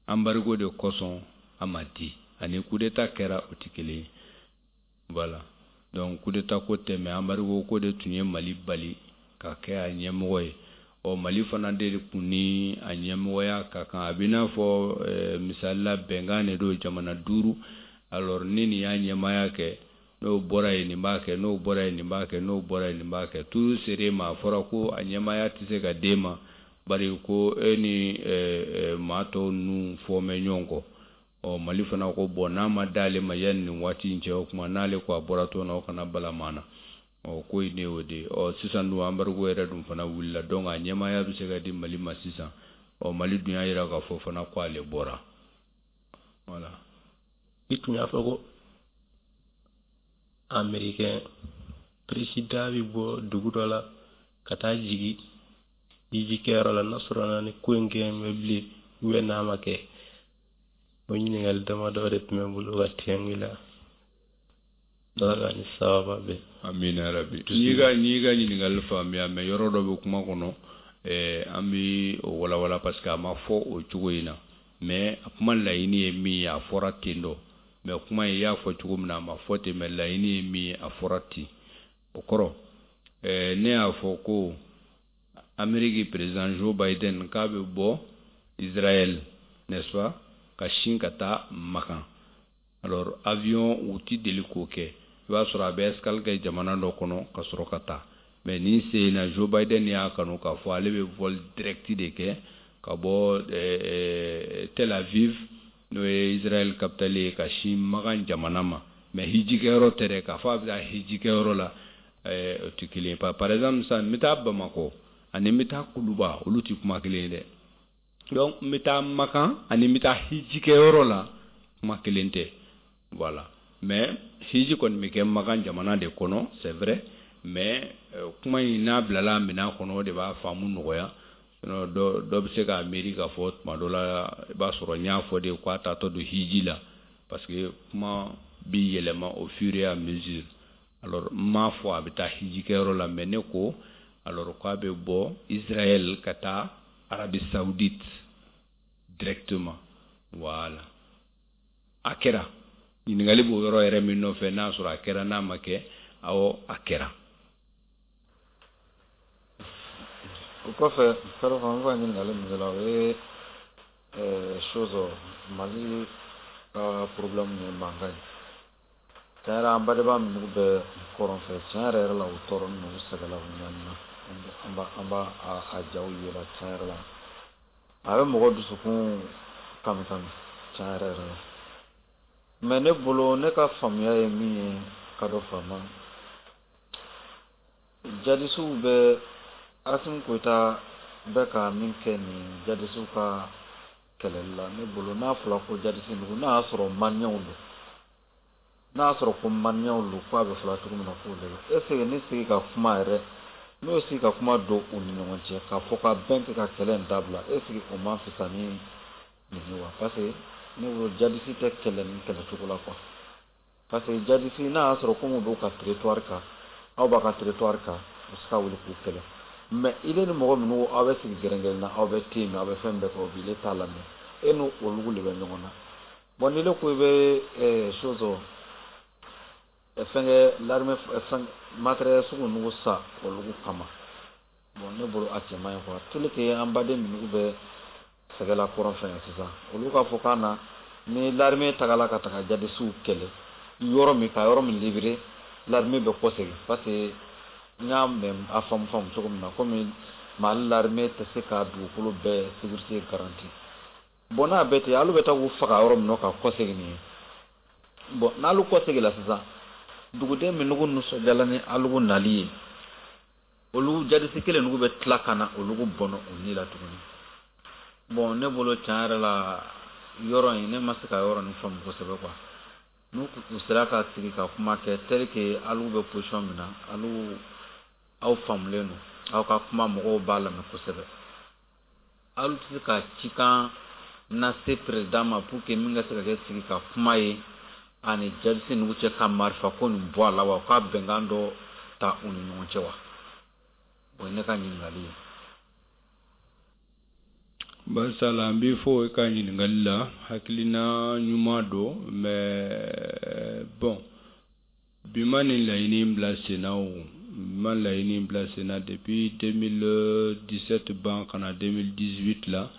embargo de kosɔn a ma di. Ani coup d'état kɛra, o tɛ kelen ye. Voilà, donc coup d'état ko tɛ, mais embargo ko de tun ye Mali bali ka kɛ a ɲɛmɔgɔ ye. Ɔ, Mali fana de kun ni a ɲɛmɔgɔya ka kan. A bɛ n'a fɔ misali la, bɛnkan de don jamana duuru. Alors ni nin y'a ɲɛmaaya kɛ, n'o bɔra yen, nin b'a kɛ, n'o bɔra yen, nin b'a kɛ, n'o bɔra yen, nin b'a kɛ. Turu ser'e ma, a fɔra ko a ɲɛmaaya tɛ se ka d'e ma, bari ko e ni maa tɔw ninnu fɔ mɛ ɲɔgɔn kɔ. Ɔ, Mali fana ko, bon, n'a ma d'ale ma yanni nin waati in cɛ, o tuma n'ale ko a bɔra tɔn na, o kana bala maa na. Ɔ, ko in de y'o de ye. Ɔ, sisan dun, embargo yɛrɛ dun fana wulila, donc a ɲɛmaaya bɛ se ka di Mali ma sisan. Ɔ, Mali dun y'a jira k'a fɔ fana ko ale bɔra. Voilà. I tun y'a fɔ ko américain président bɛ bɔ dugu dɔ la ka taa jigin hijikɛyɔrɔ la, n'a sɔrɔ ni ko in kɛ bɛ bilen ou bien n'a ma kɛ. O ɲininkali damadɔ de tun bɛ n bolo ka tɛngu la. Ala ka ni sababa bɛn. Amina yarabi. N'i ka ɲininkali faamuya, mais yɔrɔ dɔ bɛ kuma kɔnɔ, an bɛ o walawala, parce que a ma fɔ o cogo in na. Mais a kuma laɲini ye min ye, a fɔra ten dɔ. Mais kuma in, i y'a fɔ cogo min na, a ma fɔ ten, mais laɲini ye min ye, a fɔra ten. O kɔrɔ, ne y'a fɔ ko Amérique président Joe Biden k'a bɛ bɔ Israël, n'est-ce pas, ka sin ka taa Makan. Alors avion, u ti deli k'o kɛ, i b'a sɔrɔ a bɛ escale kɛ jamana dɔ kɔnɔ ka sɔrɔ ka taa. Mais nin sen in na, Joe Biden y'a kanu k'a fɔ ale bɛ vol direct de kɛ ka bɔ Tel Aviv, n'o ye Israël capitale ye, ka sin Makan jamana ma. Mais hijikɛyɔrɔ tɛ dɛ, k'a fɔ a bɛ taa hijikɛyɔrɔ la, o tɛ kelen ye. Par exemple sisan, n bɛ taa Bamakɔ ani n bɛ taa Kuluba, olu tɛ kuma kelen ye dɛ. Donc n bɛ taa Makan ani n bɛ taa hijikɛyɔrɔ la, kuma kelen tɛ. Voilà, mais hiji kɔni bɛ kɛ Makan jamana de kɔnɔ, c'est vrai, mais kuma in n'a bilala minɛn kɔnɔ, o de b'a faamu nɔgɔya. Sinon dɔ bɛ se k'a miiri k'a fɔ tuma dɔ la, i b'a sɔrɔ n y'a fɔ de k'a taatɔ don hiji la, parce que kuma bi yɛlɛma au fur et à mesure. Alors n m'a fɔ a bɛ taa hijikɛyɔrɔ la, mais ne ko Alors k'a bɛ bɔ Israël ka taa Arabie Saoudite directement. Voilà, a kɛra. Ɲininkali b'o yɔrɔ yɛrɛ min nɔfɛ, n'a sɔrɔ a kɛra, n'a ma kɛ, awɔ, a kɛra. O kɔfɛ, Kado Fama, n bɛ ka ɲininkali min kɛ la, o ye chose Mali ka problème ye, mankan ye. Tiɲɛ yɛrɛ, an badenma minnu bɛ kɔrɔn fɛ, tiɲɛ yɛrɛ yɛrɛ la, u tɔɔrɔnen don, u sɛgɛnna, u ɲanina. An b'a a jaw yela. Tiɲɛ yɛrɛ la, a bɛ mɔgɔ dusukun kami kami, tiɲɛ yɛrɛ yɛrɛ la. Mais ne bolo, ne ka faamuya ye min ye, Kado Fama, jadisiw bɛ, Asimi Goyita bɛ ka min kɛ nin jadisiw ka kɛlɛli la, ne bolo, n'a fɔra ko jadisi nugu, n'a y'a sɔrɔ maliyɛnw don, n'a y'a sɔrɔ ko maliyɛnw don, ko a bɛ fɔla cogo min na k'o de don, est ce que ni sigi ka kuma yɛrɛ, n'o ye sigi ka kuma don u ni ɲɔgɔn cɛ, k'a fɔ ka bɛn kɛ ka kɛlɛ in dabila, est ce que o man fisa ni nin ye wa? Parce que ne bolo, jadisi tɛ kɛlɛ ni kɛlɛcogo la quoi. Parce que jadisi, n'a y'a sɔrɔ ko mun b'u ka territoire kan, aw b'a ka territoire kan, u bɛ se ka wuli k'u kɛlɛ. Mais ile ni mɔgɔ minnu, aw bɛ sigi gɛrɛngɛrɛn na, aw bɛ te min, aw bɛ fɛn bɛɛ kɛ, o bi ile t'a lamɛn, e n'o olugu de bɛ ɲɔgɔn na. Bon, ni ile ko i bɛ chose fɛnkɛ, l'armée, fɛn matériel sugu ninnu sa olugu kama, bon, ne bolo, a cɛ man ɲi quoi. Tel que an baden minnu bɛ sɛgɛla kɔrɔn fɛ yan sisan, olu k'a fɔ k'an na ni l'armée tagala ka taga jadisiw kɛlɛ yɔrɔ min, ka yɔrɔ min libérer, l'armée bɛ kɔsegin. Parce que n y'a mɛn, a faamu faamu cogo min na, komi Mali l'armée tɛ se ka dugukolo bɛɛ sécurité garantie. Bon, n'a bɛɛ ten, alu bɛ taa k'u faga yɔrɔ min na ka kɔsegin nin ye. Bon, n'alu kɔsegin la sisan, duguden minnugu nisɔndiyala ni alugu nali ye, olu jadisi kelen nugu bɛ tila ka na olugu bɔnɔ u ni la tuguni. Bon, ne bolo, tiɲɛ yɛrɛ la, yɔrɔ in, ne ma se ka yɔrɔ nin faamu kosɛbɛ quoi. N'u u sera ka sigi ka kuma kɛ, tel que alu bɛ position min na, alu aw faamulen don, aw ka kuma mɔgɔw b'a lamɛn kosɛbɛ, alu tɛ se ka cikan lase président ma pour que min ka se ka kɛ sigi ka kuma ye ani jadisi nugu cɛ, ka marifa ko nin bɔ a la wa, k'a bɛnkan dɔ ta u ni ɲɔgɔn cɛ wa? O ye ne ka ɲininkali ye. Basala, n b'i fo i ka ɲininkali la. Hakilina ɲuman don, mais bon, bi ma nin laɲini bila sen na. O bi ma laɲini bila sen na depuis 2017 ban ka na 2018 la.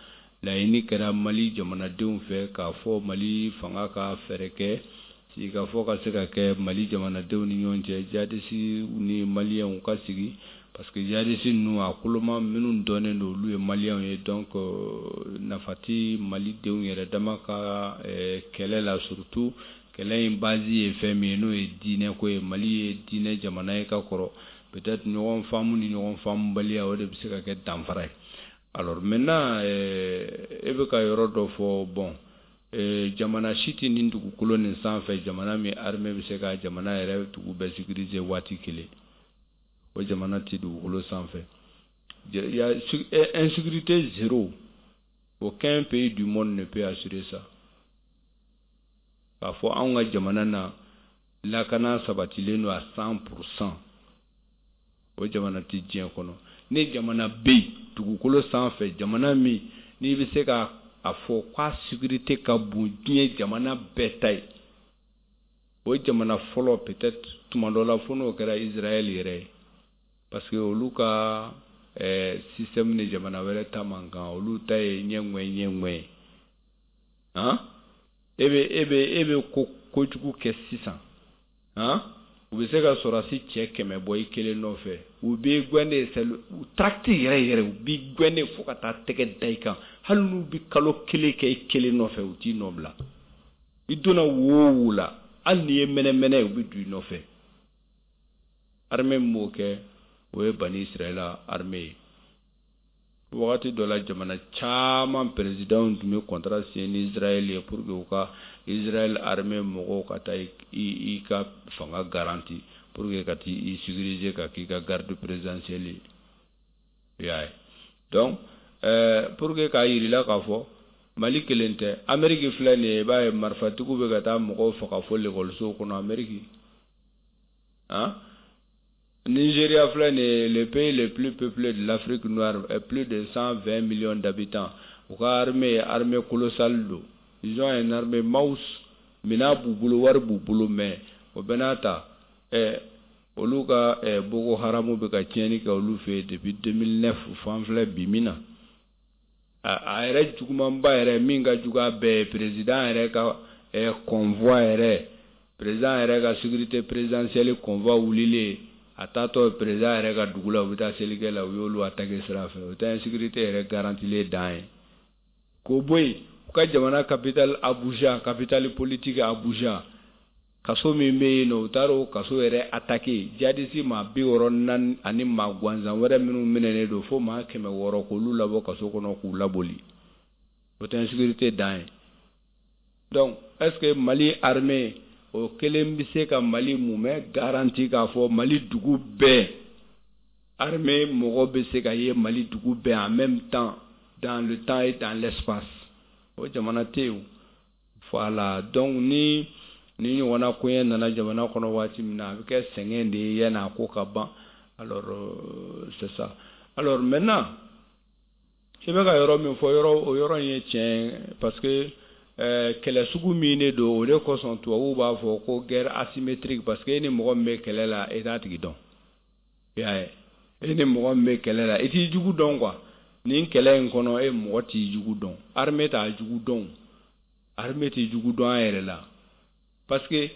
Laɲini kɛra Mali jamanadenw fɛ k'a fɔ Mali fanga ka fɛɛrɛ kɛ sigikafɔ ka se ka kɛ Mali jamanadenw ni ɲɔgɔn cɛ, jadisi ni maliyɛnw ka sigi, parce que jadisi ninnu, a koloma minnu dɔnnen don, olu ye maliyɛnw ye. Donc nafa ti malidenw yɛrɛ dama ka kɛlɛ la, surtout kɛlɛ in base ye fɛn min ye, n'o ye diinɛ ko ye. Mali ye diinɛ jamana ye ka kɔrɔ. Peut-être ɲɔgɔn faamu ni ɲɔgɔn faamubaliya, o de bɛ se ka kɛ danfara ye. Alors maintenant, e bɛ ka yɔrɔ dɔ fɔ. Bon, jamana si tɛ nin dugukolo nin sanfɛ, jamana min armée bɛ se ka jamana yɛrɛ dugu bɛɛ sécuriser waati kelen, o jamana tɛ dugukolo sanfɛ. Il y a insécurité zéro, aucun pays du monde ne peut assurer ça. K'a fɔ anw ka jamana na, lakana sabatilen don à 100%, o jamana tɛ diɲɛ kɔnɔ. Ni jamana bɛ yen dugukolo sanfɛ, jamana min n'i bɛ se ka a fɔ k'a sécurité ka bon diɲɛ jamana bɛɛ ta ye, o jamana fɔlɔ, peut-être tuma dɔ la, fo n'o kɛra Israël yɛrɛ ye, parce que olu ka système ni jamana wɛrɛ ta man kan. Olu ta ye ɲɛŋɛ ɲɛŋɛ ye. Han, e bɛ ko kojugu kɛ sisan, han, u bɛ se ka sɔrɔdasi cɛ 100 bɔ i kelen nɔfɛ. U b'i gɛn de, tracte yɛrɛ yɛrɛ, u b'i gɛn de fo ka taa tɛgɛ da i kan. Hali n'u bɛ kalo kelen kɛ i kelen nɔfɛ, u t'i nɔ bila. I donna wo o wo la, hali n'i ye mɛnɛmɛnɛ ye, u bɛ don i nɔfɛ. Armée min b'o kɛ, o ye Bani Israɛla armée ye. Wagati dɔ la, jamana caman président tun bɛ contrat signé ni Israël ye pour que u ka Israël armée mɔgɔw ka taa i ka fanga garantie, pour que ka t'i sécuriser, ka k'i ka garde présidentielle ye. I y'a ye? Donc pour que k'a yir'i la k'a fɔ Mali kelen tɛ, Amérique filɛ nin ye, i b'a ye marifatigiw bɛ ka taa mɔgɔw faga fo lekɔlisow kɔnɔ Amérique. Han. Nigeria filɛ nin ye, le pays le plus peuplé de l'Afrique noire, plus de 120 millions d'habitants. U ka armée ye armée colossale don. Ils ont une armée monstre, minɛn b'u bolo, wari b'u bolo, mais o bɛɛ n'a ta, olu ka Boko Haram bɛ ka tiɲɛni kɛ olu fɛ yen depuis 2009 fo an filɛ bi min na. A yɛrɛ jugumanba yɛrɛ, min ka jugu a bɛɛ ye, président yɛrɛ ka convoi yɛrɛ, président yɛrɛ ka sécurité présidentielle convoi wulilen, a taatɔ président yɛrɛ ka dugu la, u bɛ taa selikɛ la, u y'olu attaquer sira fɛ. O tɛ insécurité yɛrɛ garantilen dan ye. K'o bɔ yen, u ka jamana capitale Abuja, capitale politique Abuja, kaso min bɛ yen nɔ, u taara o kaso yɛrɛ attaquer. Djihadiste maa 64 ani maa gansan wɛrɛ minnu minɛnen don, fo maa 600, k'olu labɔ kaso kɔnɔ k'u laboli. O tɛ insécurité dan ye. Donc est ce que Mali armée o kelen bɛ se ka Mali mumɛ garanti k'a fɔ Mali dugu bɛɛ armée mɔgɔ bɛ se ka ye Mali dugu bɛɛ en même temps, dans le temps et dans l'espace? O jamana tɛ yen. Voilà, donc ni ɲɔgɔnna koɲɛ nana jamana kɔnɔ waati min na, a bɛ kɛ sɛgɛn de ye yanni a ko ka ban. Alors c'est ça. Alors maintenant, i bɛ ka yɔrɔ min fɔ, yɔrɔ o yɔrɔ in ye tiɲɛ, parce que kɛlɛ sugu min de don, o de kosɔn tubabuw b'a fɔ ko guerre asymétrique, parce que e ni mɔgɔ min bɛ kɛlɛ la, e t'a tigi dɔn. I y'a ye, e ni mɔgɔ min bɛ kɛlɛ la, i t'i jugu dɔn quoi. Nin kɛlɛ in kɔnɔ, e mɔgɔ t'i jugu dɔn, armée t'a jugu dɔn, armée t'i jugu dɔn a yɛrɛ la, parce que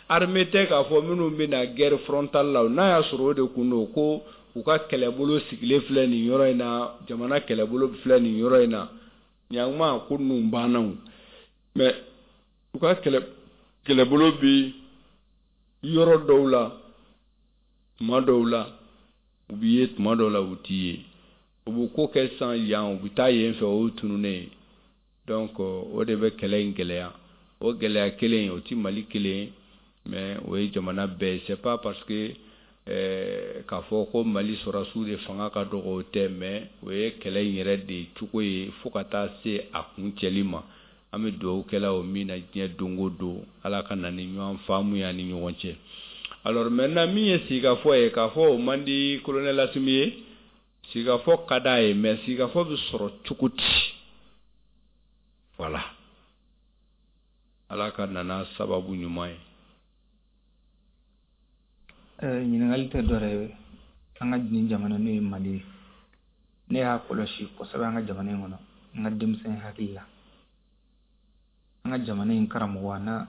armée tɛ k'a fɔ minnu bɛ na guerre frontale la. N'a y'a sɔrɔ o de kun don, ko u ka kɛlɛbolo sigilen filɛ nin yɔrɔ in na, jamana kɛlɛbolo filɛ nin yɔrɔ in na, ɲankuma ko ninnu banna o. Mais u ka kɛlɛbolo bi yɔrɔ dɔw la, tuma dɔw la u b'i ye, tuma dɔw la u t'i ye. U bɛ ko kɛ sisan yan, u bɛ taa yen fɛ, o ye tununnen ye. Donc o de bɛ kɛlɛ in gɛlɛya. O gɛlɛya kelen, o ti Mali kelen ye, mais o ye jamana bɛɛ ye. C'est pas parce que k'a fɔ ko Mali sɔrɔdasiw de fanga ka dɔgɔ, o tɛ, mais o ye kɛlɛ in yɛrɛ de cogo ye fo ka taa se a kuncɛli ma. An bɛ dugawu kɛla o min na diɲɛ don o don, Ala ka na ni ɲɔgɔn faamu ye an ni ɲɔgɔn cɛ. Alors maintenant, min ye sigikafɔ ye, k'a fɔ o man di colonel Asimi ye, sigikafɔ ka d'a ye, mais sigikafɔ bɛ sɔrɔ cogo di? Voilà, Ala ka nana sababu ɲuman ye. Ɲininkali tɛ dɔwɛrɛ ye, an ka nin jamana n'o ye Mali ye, ne y'a kɔlɔsi kosɛbɛ an ka jamana in kɔnɔ, n ka denmisɛn hakili la, an ka jamana in karamɔgɔ a n'a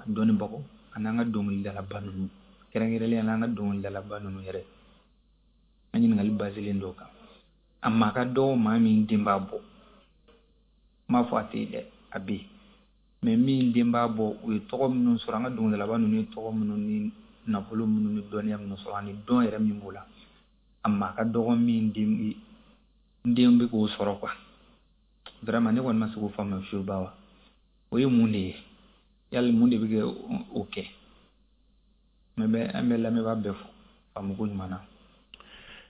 dɔnnibagaw ani an ka dɔnkilidalaba ninnu, kɛrɛnkɛrɛnnenya la an ka dɔnkilidalaba ninnu yɛrɛ, an ɲininkali baselen dɔw kan, a maa ka dɔgɔ maa min den b'a bɔ, n m'a fɔ a tɛ yen dɛ, a bɛ yen, mais min den b'a bɔ, u ye tɔgɔ minnu sɔrɔ, an ka dɔnkilidalaba ninnu ye tɔgɔ minnu ni nafolo minnu ni dɔnniya minnu sɔrɔ ani dɔn yɛrɛ min b'o la, a maa ka dɔgɔ min den den bɛ k'o sɔrɔ quoi. Vraiment, ne kɔni ma se k'o faamuya fiyewu. Ba wa, o ye mun de ye? Yali mun de bɛ kɛ o kɛ? Mais bɛ an bɛ lamɛnbaa bɛɛ fo faamuko ɲuman na.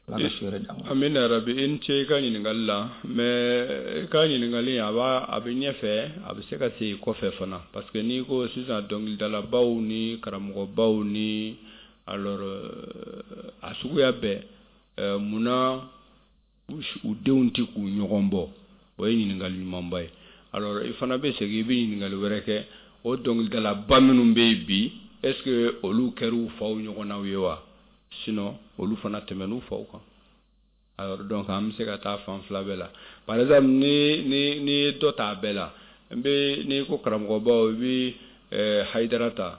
Ala ka su wɛrɛ d'an ma. Amina rabi. I ni ce i ka ɲininkali la. Mais i ka ɲininkali, a b'a a bɛ ɲɛfɛ, a bɛ se ka segin kɔfɛ fana, parce que n'i ko sisan dɔnkilidalabaw ni karamɔgɔbaw ni alors a suguya bɛɛ, munna u denw tɛ k'u ɲɔgɔn bɔ? O ye ɲininkali ɲumanba ye. Alors i fana bɛ segin, i bɛ ɲininkali wɛrɛ kɛ: o dɔnkilidalaba minnu bɛ yen bi, est ce que olu kɛra u faw ɲɔgɔnnaw ye wa? Sinon olu fana tɛmɛn'u faw kan. Alors donc an bɛ se ka taa fan fila bɛɛ la. Par exemple, ni ye dɔ ta a bɛɛ la, n bɛ n'i ko karamɔgɔbaw, i bɛ Hayidara ta,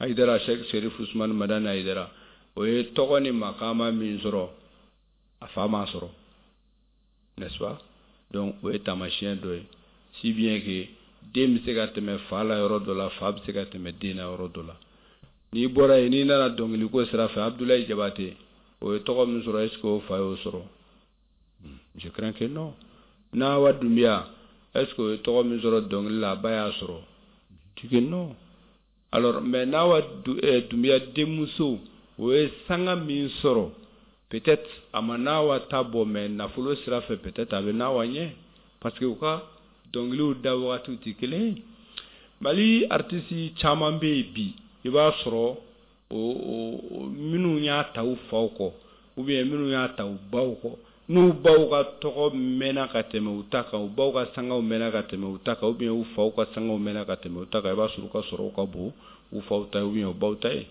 Hayidara, Sheikh Serif Usman Madani Hayidara, o ye tɔgɔ ni makama min sɔrɔ, a fa m'a sɔrɔ, n'est-ce pas? Donc o ye taamasiyɛn dɔ ye, si bien que den bɛ se ka tɛmɛ fa la yɔrɔ dɔ la, fa bɛ se ka tɛmɛ den na yɔrɔ dɔ la. N'i bɔra yen, n'i nana dɔnkiliko sira fɛ, Abdoulaye Jabate, o ye tɔgɔ min sɔrɔ, est ce que o fa y'o sɔrɔ? Je crains que non. Nawa Doumbia, est ce que o ye tɔgɔ min sɔrɔ dɔnkili la, a ba y'a sɔrɔ? Je dis que non. Alors mais Nawa Doumbia denmuso, o ye sanga min sɔrɔ, peut-être a ma Nawa ta bɔ, mais nafolo sira fɛ, peut-être a bɛ Nawa ɲɛ, parce que u ka dɔnkiliw da wagatiw tɛ kelen ye. Mali artiste caman bɛ yen bi, i b'a sɔrɔ O minnu y'a ta u faw kɔ ou bien minnu y'a ta u baw kɔ, n'u baw ka tɔgɔ mɛnna ka tɛmɛ u ta kan, u baw ka sangaw mɛnna ka tɛmɛ u ta kan, ou bien u faw ka sangaw mɛnna ka tɛmɛ u ta kan, i b'a sɔrɔ u ka sɔrɔw ka bon u faw ta ye ou bien u baw ta ye.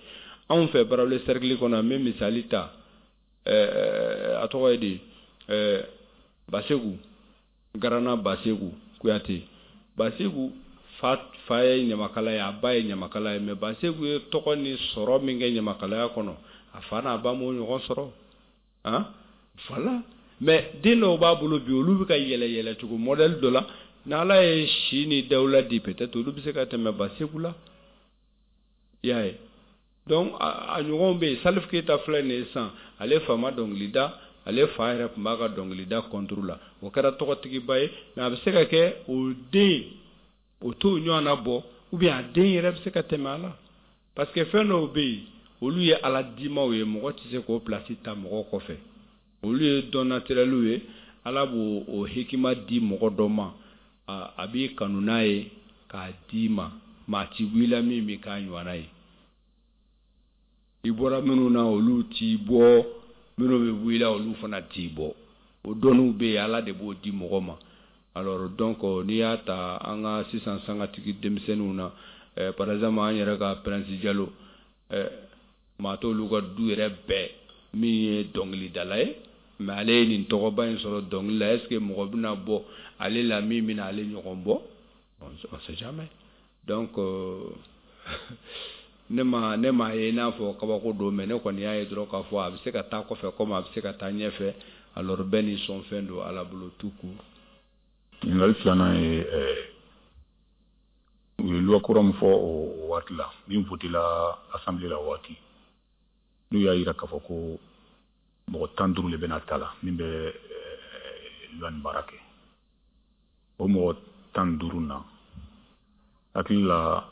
Anw fɛ Barawele cercle kɔnɔ, n bɛ misali ta, a tɔgɔ ye di, Baseku Garana, Baseku Kuyate. Baseku fa ye ɲamakala ye, a ba ye ɲamakala ye, mais Baseku ye tɔgɔ ni sɔrɔ min kɛ ɲamakalaya kɔnɔ, a fa n'a ba m'o ɲɔgɔn sɔrɔ. Han, voilà. Mais den dɔw b'a bolo bi, olu bɛ ka yɛlɛ yɛlɛ cogo modèle dɔ la, n'Ala ye si ni dawula di, peut-être olu bɛ se ka tɛmɛ Baseku la, i y'a ye. Donc a ɲɔgɔnw bɛ yen. Salif Keita filɛ nin ye sisan, ale fa ma dɔnkili da, ale fa yɛrɛ tun b'a ka dɔnkilida contre la, o kɛra tɔgɔtigiba ye. Mais a bɛ se ka kɛ o den o t'o ɲɔgɔn na bɔ, ou bien a den yɛrɛ bɛ se ka tɛmɛ a la, parce que fɛn dɔw bɛ yen, olu ye Ala dimaw ye, mɔgɔ tɛ se k'o place ta mɔgɔ kɔfɛ. Olu ye don naturel ye, Ala b'o o hikima di mɔgɔ dɔ ma, a b'i kanu n'a ye k'a d'i ma, maa ti bɔ i la min bɛ k'a ɲɔgɔnna ye. I bɔra minnu na, olu t'i bɔ, minnu bɛ bɔ i la, olu fana t'i bɔ. O dɔnniw bɛ yen, Ala de b'o di mɔgɔ ma. Alors donc n'i y'a ta an ka sisan sangatigi denmisɛnninw na, par exemple an yɛrɛ ka Prince Jalo, maa t'olu ka du yɛrɛ bɛɛ min ye dɔnkilidala ye, mais ale ye nin tɔgɔba in sɔrɔ dɔnkili la. Est ce que mɔgɔ bɛna bɔ ale la min bɛna ale ɲɔgɔn bɔ? On sait jamais. Donc ne ma ye i n'a fɔ kabako don, mais ne kɔni y'a ye dɔrɔn k'a fɔ a bɛ se ka taa kɔfɛ komi a bɛ se ka taa ɲɛfɛ. Alors bɛɛ ni sɔnfɛn don Ala bolo tout court. Ɲininkali filanan ye, u ye loi kura min fɔ o waati la, min votela assemblée la o waati, n'u y'a yira k'a fɔ ko mɔgɔ 15 de bɛna ta la min bɛ loi nin baara kɛ, o mɔgɔ 15 na, hakili la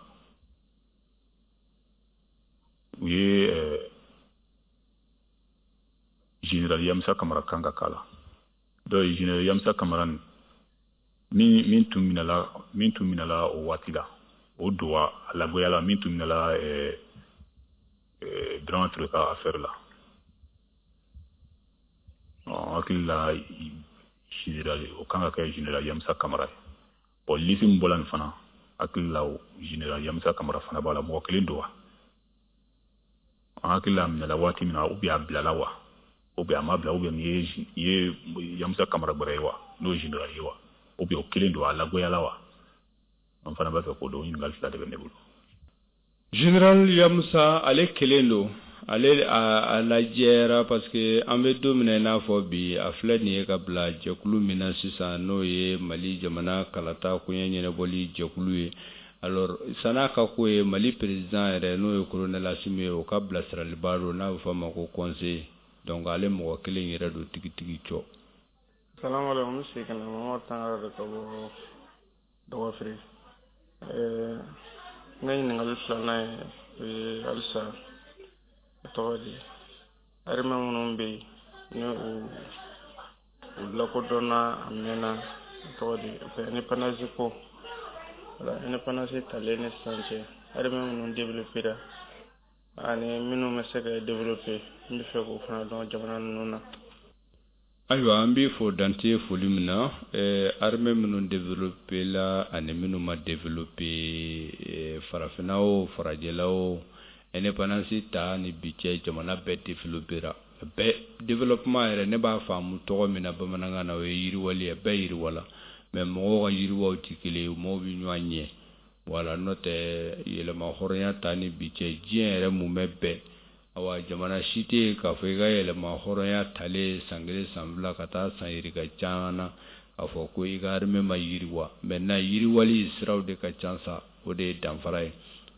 u ye général Yamsa Kamara kan ka k'a la. Donc général Yamsa Kamara nin min tun minɛla o waati la, o don wa a lagoyala, min tun minɛla Birama Ture ka affaire la, hakili la général o kan ka kɛ général Yamsa Kamara ye. Bon, liste min bɔla nin fana, hakili la général Yamsa Kamara fana b'a la. Mɔgɔ kelen don wa? An hakili la a minɛla waati min na, ou bien a bilala wa, ou bien a ma bila, ou bien nin ye Yamsa Kamara gbɛrɛ ye wa, n'o ye général ye wa, ou bien o kelen don, a lagoyala wa? An fana b'a fɛ k'o dɔn. Ɲininkali fila de bɛ ne bolo. Général Yamusa, ale kelen don, ale a lajɛra, parce que an bɛ don min na i n'a fɔ bi, a filɛ nin ye ka bila jɛkulu min na sisan, n'o ye Mali jamana kalata koɲɛ ɲɛnabɔli jɛkulu ye. Alors san'a ka ko ye Mali président yɛrɛ, n'o ye colonel Assimi ye, o ka bilasiraliba don, n'a bɛ fɔ a ma ko conseiller. Donc ale mɔgɔ kelen yɛrɛ don tigitigi cɔ. Salamu alaikum, n segin ka na. Mamadu Tangara de ka bɔ Dɔgɔfiri. N ka ɲininkali filanan ye, o ye halisa, a tɔgɔ di, armée minnu bɛ yen ni u lakodɔnna a mɛnna, a tɔgɔ di, indépendance ko, wala indépendance talen ni sisan cɛ, armée minnu développé ani minnu bɛ se ka développé, n bɛ fɛ k'o fana dɔn jamana ninnu na. Ayiwa, an b'i fo dante foli min na. Armée minnu développé la ani minnu ma développé, farafinna o, farajɛla o, indépendance ta ni bi cɛ, jamana bɛɛ développé ra. Bɛɛ développement yɛrɛ, ne b'a faamu tɔgɔ min na bamanankan na, o ye yiriwali ye. Bɛɛ yiriwala, mais mɔgɔw ka yiriwaw tɛ kelen ye, mɔgɔw bɛ ɲɔgɔn ɲɛ. Wala n'o tɛ, yɛlɛma hɔrɔnya ta ni bi cɛ, diɲɛ yɛrɛ mumɛ bɛɛ, awa jamana si tɛ yen k'a fɔ i ka yɛlɛma hɔrɔnya talen san 1, san 2 ka taa san yirika caman na, k'a fɔ ko i ka armée ma yiriwa. Maintenant yiriwali siraw de ka ca sa, o de ye danfara ye.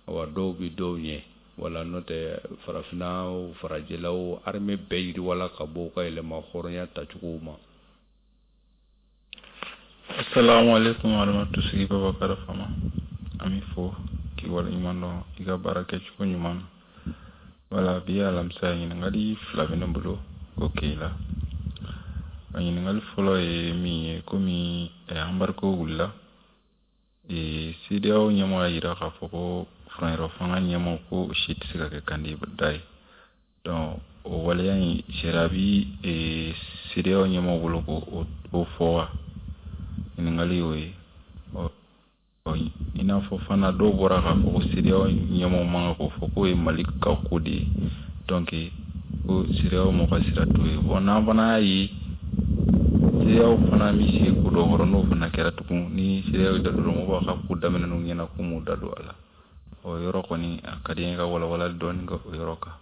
Awa dɔw bɛ dɔw ɲɛ. Wala n'o tɛ, farafinna o, farajɛla o, armée bɛɛ yiriwala ka bɔ u ka yɛlɛma hɔrɔnya tacogow ma. Assalamu alaikum warahmatullahi. Babakar Fama, an b'i fo k'i waleɲuman dɔn i ka baara kɛcogo ɲuman na. Wala bi ye alamisa ye. Ɲininkali fila bɛ ne bolo k'o kɛ i la. A ɲininkali fɔlɔ ye min ye, komi embargo wulila, CEDEAO ɲɛmɔgɔ y'a jira k'a fɔ ko furancɛrɔ fanga ɲɛmaaw ko o si tɛ se ka kɛ candidat ye. Donc o waleya in, sariya bi CEDEAO ɲɛmaaw bolo ko o fɔ wa? Ɲininkali y'o ye. I n'a fɔ fana dɔw bɔra k'a fɔ ko CEDEAO ɲɛmaaw man kan k'o fɔ, k'o ye Mali ka ko de ye, donc ko CEDEAO mɔgɔ ka sira t'o ye. Bon, n'an fana y'a ye CEDEAO fana bɛ sigi ko dɔ kɔrɔ, n'o fana kɛra tugun ni CEDEAO da don, mɔgɔw b'a ka ko daminɛ n'u ɲɛna k'u m'u da don a la. O yɔrɔ kɔni, a ka di n ye ka walawalali dɔɔni kɛ o yɔrɔ kan.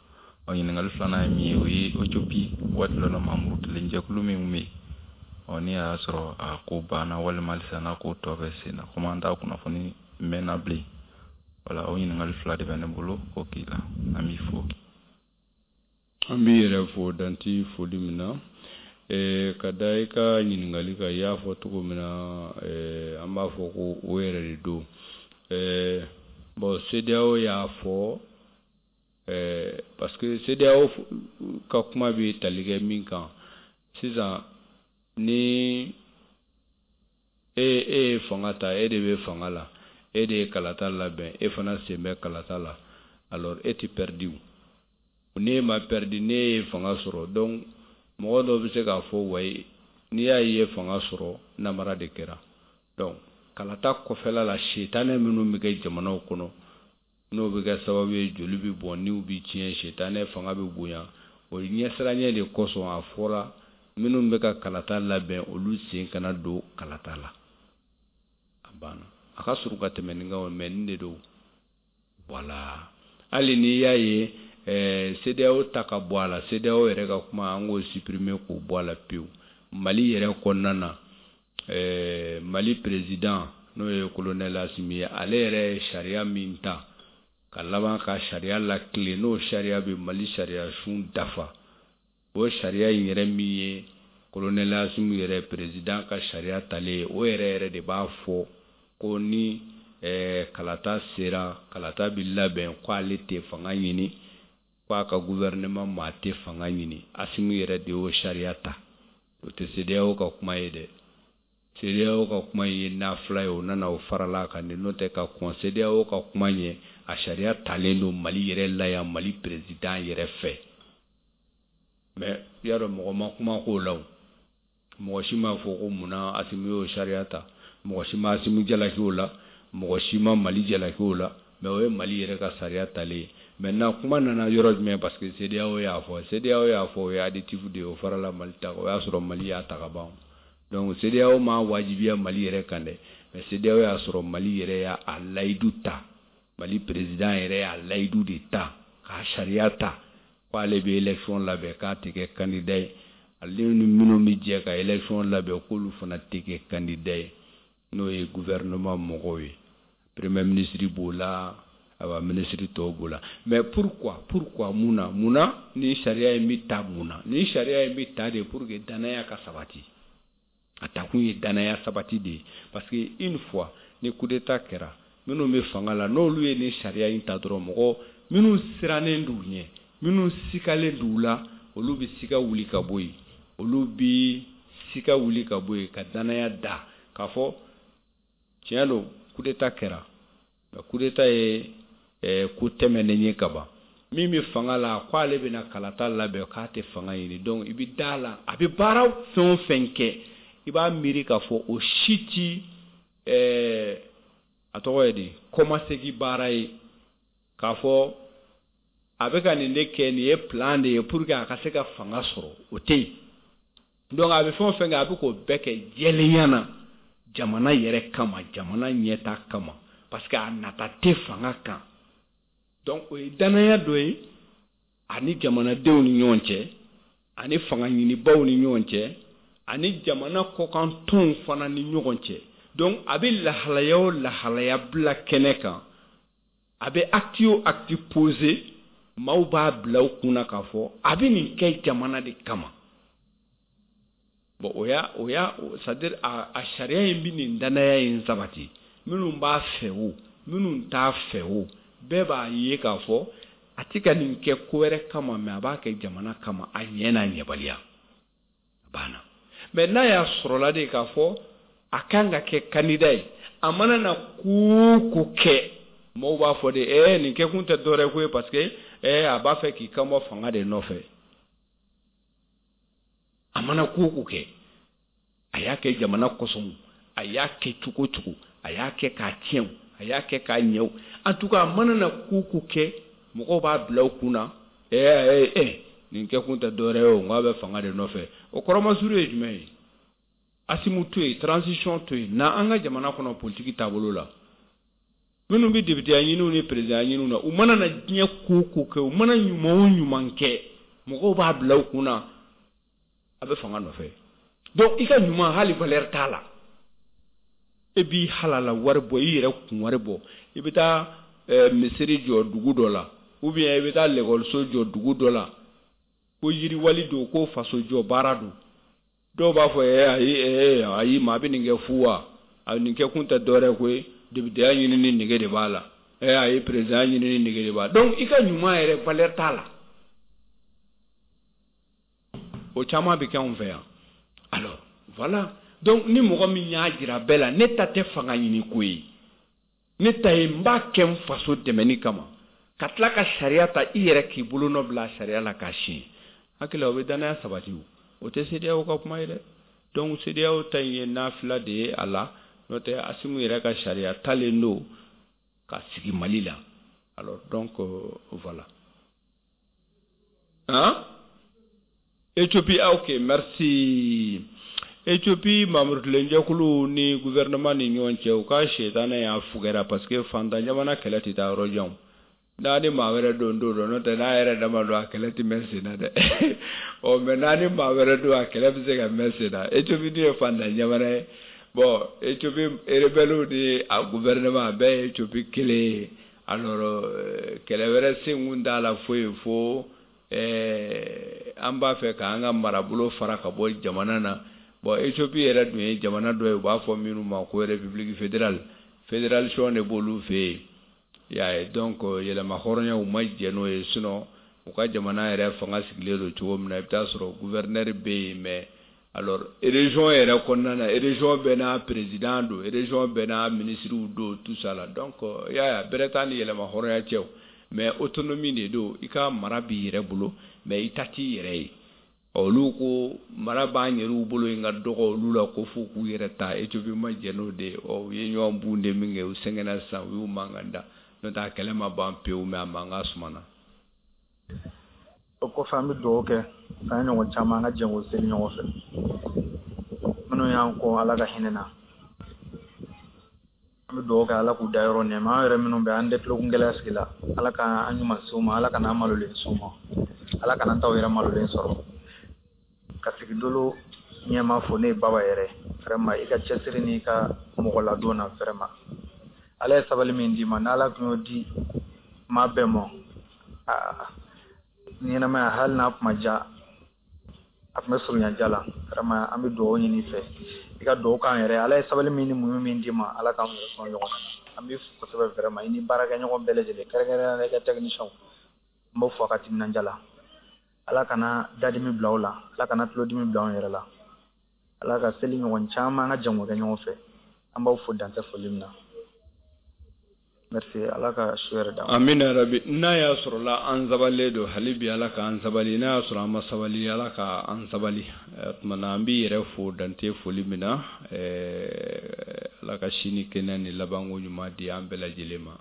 Ɔ, ɲininkali filanan ye min ye, o ye Éthiopie waati dɔ la maa murutilen jɛkulu min bɛ yen, ɔ, ni a y'a sɔrɔ a ko banna walima halisa n'a ko tɔ bɛ sen na, komi an t'a kunnafoni mɛnna bilen. Wala, o ɲininkali fila de bɛ ne bolo k'o k'i la. An b'i fo. An b'i yɛrɛ fo danti foli min na ka da i ka ɲininkali kan. I y'a fɔ cogo min na, an b'a fɔ ko o yɛrɛ de don. Bon, CEDEAO y'a fɔ parce que CEDEAO ka kuma bɛ tali kɛ min kan sisan, ni e ye fanga ta, e de bɛ fanga la, e de ye kalata labɛn, e fana sen bɛ kalata la, alors e tɛ perdu. N'e ma perdu, n'e ye fanga sɔrɔ, donc mɔgɔ dɔw bɛ se k'a fɔ wayi, n'i y'a ye fanga sɔrɔ, namara de kɛra. Donc kalata kɔfɛla la, setanɛ minnu bɛ kɛ jamanaw kɔnɔ, n'o bɛ kɛ sababu ye joli bɛ bɔn, niw bɛ tiɲɛ, setanɛ fanga bɛ bonya, o ɲɛsiranɲɛ de kosɔn a fɔra minnu bɛ ka kalata labɛn, olu sen kana don kalata la. A banna. A ka surun ka tɛmɛ nin kan, mais nin de don. Voilà, hali n'i y'a ye CEDEAO ta ka bɔ a la, CEDEAO yɛrɛ ka kuma, an k'o supprimer k'o bɔ a la pewu. Mali yɛrɛ kɔnɔna na, Mali président, n'o ye colonel Assimi ye, ale yɛrɛ ye sariya min ta ka laban ka sariya latilen, n'o sariya bɛ Mali sariya sun dafa, o sariya in yɛrɛ min ye colonel Assimi yɛrɛ président ka sariya talen ye, o yɛrɛ yɛrɛ de b'a fɔ ko ni kalata sera, kalata bɛ labɛn, ko ale tɛ fanga ɲini, ko a ka gouvernement maa tɛ fanga ɲini. Assimi yɛrɛ de y'o sariya ta. O tɛ CEDEAO ka kuma ye dɛ. CEDEAO ka kuma ye nafila ye, o nana o farala kan de. N'o tɛ, ka kɔn CEDEAO ka kuma ɲɛ, a sariya talen don Mali yɛrɛ la yan, Mali président yɛrɛ fɛ. Mais i y'a dɔn, mɔgɔ ma kuma k'o la. O mɔgɔ si m'a fɔ ko munna Assimi y'o sariya ta. Mɔgɔ si ma Assimi jalaki o la, mɔgɔ si ma Mali jalaki o la. Mais o ye Mali yɛrɛ ka sariya talen ye. Maintenant, kuma nana yɔrɔ jumɛn? Parce que CEDEAO y'a fɔ. CEDEAO y'a fɔ, o ye additif de ye, o farala Mali ta kan. O y'a sɔrɔ Mali y'a ta ka ban. Donc CEDEAO ma wajibiya Mali yɛrɛ kan dɛ, mais CEDEAO y'a sɔrɔ Mali yɛrɛ y'a a layidu ta. Mali président yɛrɛ y'a layidu de ta k'a sariya ta k'ale bɛ élection labɛn, k'a tɛ kɛ candidat ye, ale ni minnu bɛ jɛ ka élection labɛn, k'olu fana tɛ kɛ candidat ye, n'o ye gouvernement mɔgɔw ye, premier ministre b'o la, awa, ministre tɔw b'o la. Mais pourquoi? Pourquoi? Mun na? Mun na ni sariya in bɛ ta? Mun na ni sariya in bɛ ta de? Pour que danaya ka sabati. A takun ye danaya sabati de ye, parce que une fois ni coup d'état kɛra, minnu bɛ fanga la, n'olu ye ni sariya in ta dɔrɔn, mɔgɔ minnu sirannen d'u ɲɛ, minnu sikalen d'u la, olu bɛ sika wuli ka bɔ yen. Olu bɛ sika wuli ka bɔ yen ka danaya da k'a fɔ tiɲɛ don, coup d'état kɛra, mais coup d'état ye ko tɛmɛnen ye ka ban. Min bɛ fanga la, ko ale bɛna kalata labɛn, k'a tɛ fanga ɲini. Donc i bɛ da la, a bɛ baara fɛn o fɛn kɛ, i b'a miiri k'a fɔ o si ti a tɔgɔ ye di, kɔmasegin baara ye, k'a fɔ a bɛ ka nin de kɛ, nin ye plan de ye pour que a ka se ka fanga sɔrɔ, o tɛ yen. Donc a bɛ fɛn o fɛn kɛ, a bɛ k'o bɛɛ kɛ jɛlenya na, jamana yɛrɛ kama, jamana ɲɛta kama, parce que a nata tɛ fanga kan. Donc o ye danaya dɔ ye ani jamanadenw ni ɲɔgɔn cɛ, ani fanga ɲinibaw ni ɲɔgɔn cɛ, ani jamana kɔkan tɔnw fana ni ɲɔgɔn cɛ. Donc a bɛ lahalaya o lahalaya bila kɛnɛ kan, a bɛ acte o acte posé, maaw b'a bila u kunna k'a fɔ a bɛ nin kɛ jamana de kama. Bon, o y'a c'est à dire a sariya in bɛ nin danaya in sabati. Minnu b'a fɛ o, minnu t'a fɛ o, bɛɛ b'a ye k'a fɔ a tɛ ka nin kɛ ko wɛrɛ kama, mais a b'a kɛ jamana kama, a ɲɛ n'a ɲɛbaliya. A banna. Mais n'a y'a sɔrɔla de k'a fɔ a kan ka kɛ candidat ye, a mana na ko o ko kɛ. Mɔgɔw b'a fɔ de nin kɛkun tɛ dɔwɛrɛ ko ye parce que a b'a fɛ k'i kan bɔ fanga de nɔfɛ. A mana ko o ko kɛ, a y'a kɛ jamana kosɔn, a y'a kɛ cogo o cogo, a y'a kɛ k'a tiɲɛ, a y'a kɛ k'a ɲɛ. En tout cas, a mana na ko o ko kɛ, mɔgɔw b'a bila u kun na nin kɛkun tɛ dɔwɛrɛ ye o, n k'a bɛ fanga de nɔfɛ. O kɔrɔmasuru ye jumɛn ye? Assimi to yen, transition to yen, na an ka jamana kɔnɔ politique taabolo la, minnu bɛ député ɲiniw ni président ɲiniw na, u mana na diɲɛ ko o ko kɛ, u mana ɲuman o ɲuman kɛ, mɔgɔw b'a bila u kun na a bɛ fanga nɔfɛ. Donc i ka ɲuman hali valeur t'a la. E b'i halala wari bɔ, i yɛrɛ kun wari bɔ, i bɛ taa misiri jɔ dugu dɔ la, ou bien i bɛ taa lekɔliso jɔ dugu dɔ la, ko yiriwali don, ko faso jɔ baara don. Dɔw b'a fɔ ayi ayi, maa bɛ nin kɛ fu wa? A nin kɛ kun tɛ dɔwɛrɛ ko ye, députéya ɲinini nege de b'a la, ayi président ɲinini nege de b'a la. Donc i ka ɲuman yɛrɛ valeur t'a la. O caman bɛ kɛ anw fɛ yan. Alors voilà, donc ni mɔgɔ min y'a jira bɛɛ la, ne ta tɛ fanga ɲini ko ye, ne ta ye n b'a kɛ n faso dɛmɛni kama, ka tila ka sariya ta i yɛrɛ k'i bolonɔ bila sariya la k'a siɲɛ. Hakili la o bɛ danaya sabati, o tɛ CEDEAO ka kuma ye dɛ. Donc CEDEAO ta in ye nafila de ye a la, n'o tɛ Assimi yɛrɛ ka sariya talen don ka sigi Mali la. Alors donc voilà. Hein? Éthiopie, ah, ok, merci. Éthiopie mamurukilenjɛkulu ni gouvernement ni ɲɔgɔn cɛ, u ka sɛtanɛ y'a fugɛra parce que fantan jamana kɛlɛ tɛ taa yɔrɔ jan. N'a ni maa wɛrɛ don don dɔ, n'o tɛ n'a yɛrɛ dama don, a kɛlɛ tɛ mɛn sen na dɛ. Ɔ mais n'a ni maa wɛrɛ don, a kɛlɛ bɛ se ka mɛn sen na. Éthiopie dun ye fantan jamana ye. Bon, Éthiopie rebelle ni a gouvernement, a bɛɛ ye Éthiopie kelen ye. Alors kɛlɛ wɛrɛ senkun t'a la foyi fo an b'a fɛ k'an ka marabolo fara ka bɔ jamana na. Bon, Éthiopie yɛrɛ dun ye jamana dɔ ye, u b'a fɔ minnu ma ko république fédérale, fédération de b'olu fɛ yen. I y'a ye, donc yɛlɛma hɔrɔnya u ma jɛ n'o ye. Sinon u ka jamana yɛrɛ fanga sigilen don cogo min na, i bɛ taa sɔrɔ gouverneur bɛ yen, mais alors région yɛrɛ kɔnɔna na, région bɛɛ n'a président don, région bɛɛ n'a ministre don, tout ça là. Donc i y'a ye, bɛrɛ t'a ni yɛlɛma hɔrɔnya cɛ o, mais autonomie de don. I ka mara b'i yɛrɛ bolo, mais i ta t'i yɛrɛ ye. Olu ko mara b'an yɛrɛw bolo yen ka dɔgɔ olu la, ko fo k'u yɛrɛ ta. Éthiopie ma jɛn n'o de ye. Ɔ u ye ɲɔgɔn bun de min kɛ, u sɛgɛnna sisan, u y'u mankan da, n'o tɛ a kɛlɛ ma ban pewu, mais a mankan sumana. O kɔfɛ, an bɛ dugawu kɛ k'an ɲɔgɔn caman, an ka jɛ k'o seli ɲɔgɔn fɛ. Minnu y'an kɔ, Ala ka hinɛ na, an bɛ dugawu kɛ Ala k'u da yɔrɔ nɛɛma. An yɛrɛ minnu bɛ an tɛ tulokun gɛlɛya sigi la, Ala k'an ɲuman s'u ma, Ala kana an malolen s'u ma, Ala kana an t'aw yɛrɛ malolen sɔrɔ. Ka sigi dolo ɲɛma fo, ne ye Baba yɛrɛ, vraiment i ka cɛsiri n'i ka mɔgɔ ladon na, vraiment Ala ye sabali min d'i ma, n'Ala tun y'o di maa bɛɛ ma, aa ɲɛnamaya, hali n'a kuma ja, a tun bɛ surunya ja la. Vraiment an bɛ dugawu ɲini i fɛ, i ka dugawu k'an yɛrɛ. Ala ye sabali min ni muɲu min d'i ma, Ala k'an yɛrɛ sɔn ɲɔgɔn na. An b'i fo kosɛbɛ vraiment, i ni baarakɛɲɔgɔn bɛɛ lajɛlen, kɛrɛnkɛrɛnnenya la i ka technicien, n b'o fo a ka timinandiya la. Ala kana dadimi bila aw la, Ala kana tulodimi bila anw yɛrɛ la. Ala ka seli ɲɔgɔn caman, an ka jɛn k'o kɛ ɲɔgɔn fɛ. An b'aw fo dantɛ foli min na. Merci, Ala ka su yɛrɛ d'an ma. Amina rabi. N'a y'a sɔrɔ la an sabalilen don hali bi, Ala k'an sabali. N'a y'a sɔrɔ an ma sabali, Ala k'an sabali. O tuma na an b'i yɛrɛ fo dante foli min na. Ala ka sini kɛnɛ ni labanko ɲuman di an bɛɛ lajɛlen ma.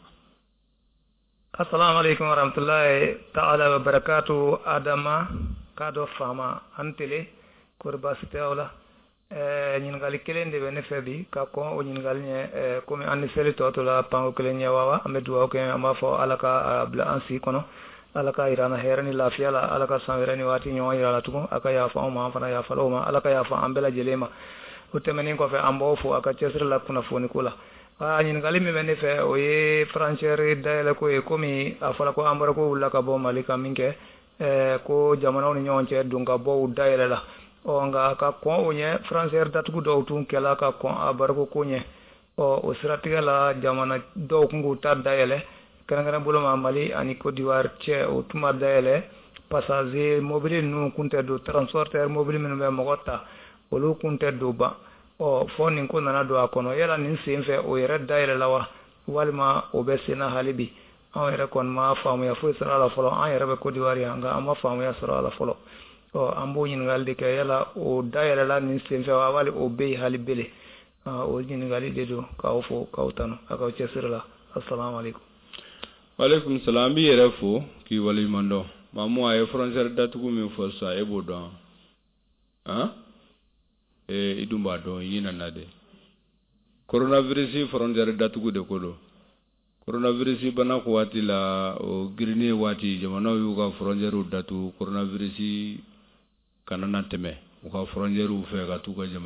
Assalamu alaikum warahmatullahi ta'ala wa barakatuh. Adama k'a dɔ faama an tele kori baasi tɛ aw la. Ɲininkali kelen de bɛ ne fɛ bi ka kɔn o ɲininkali ɲɛ. Komi an ni seli tɔ to la panko kelen ɲɛ wa, an bɛ dugawu kɛ, an b'a fɔ Ala ka bila an si kɔnɔ, Ala ka yira an na hɛrɛ ni lafiya la, Ala ka san wɛrɛ ni waati ɲɔgɔn yira la tugun, a ka yafa anw ma, an fana yafa o ma, Ala ka yafa an bɛɛ lajɛlen ma. O tɛmɛnen kɔfɛ, an b'aw fo a ka cɛsiri la kunnafoni ko la. Ɲininkali min bɛ ne fɛ, o ye frontière dayɛlɛ ko ye. Komi a fɔra ko embargo wulila ka bɔ Mali kan min kɛ, ko jamanaw ni ɲɔgɔn cɛ don ka bɔw dayɛlɛ la. Ɔ nka ka kɔn o ɲɛ, frontière datugu dɔw tun kɛla ka kɔn embargo ko ɲɛ. Ɔ o siratigɛ la, jamana dɔw tun k'u ta dayɛlɛ, kɛrɛnkɛrɛn bolo ma Mali ani Côte d'Ivoire cɛ, o tun ma dayɛlɛ. Passager mobili ninnu kun tɛ don, transporteur mobili minnu bɛ mɔgɔ ta, olu kun tɛ don ban. Ɔ fɔ nin ko nana don a kɔnɔ, yala nin sen fɛ o yɛrɛ dayɛlɛla wa? Walima o bɛ senna hali bi? Anw yɛrɛ kɔni ma faamuya foyi sɔrɔ a la fɔlɔ. An yɛrɛ bɛ Côte d'Ivoire yan, nka an ma faamuya sɔrɔ a la fɔlɔ. Ɔ, an b'o ɲininkali de kɛ, yala o dayɛlɛla nin senfɛ wa, wali o bɛ yen hali bele? O ɲininkali de don. K'aw fo, k'aw tanu a k'aw cɛsiri la. Assalamu alaikum. Waaleykum salam. An b'i yɛrɛ fo k'i waleɲuman dɔn. Mamu, a ye frontière datugu min fɔ sisan, e b'o dɔn han? Ee, i dun b'a dɔn, i nana de. Coronavirus frontière datugu de ko don. Coronavirus bana ko waati la, o girinni waati, jamanaw y'u ka frontière datugu, coronavirus kana na tɛmɛ u ka frontière fɛ ka t'u ka jamana.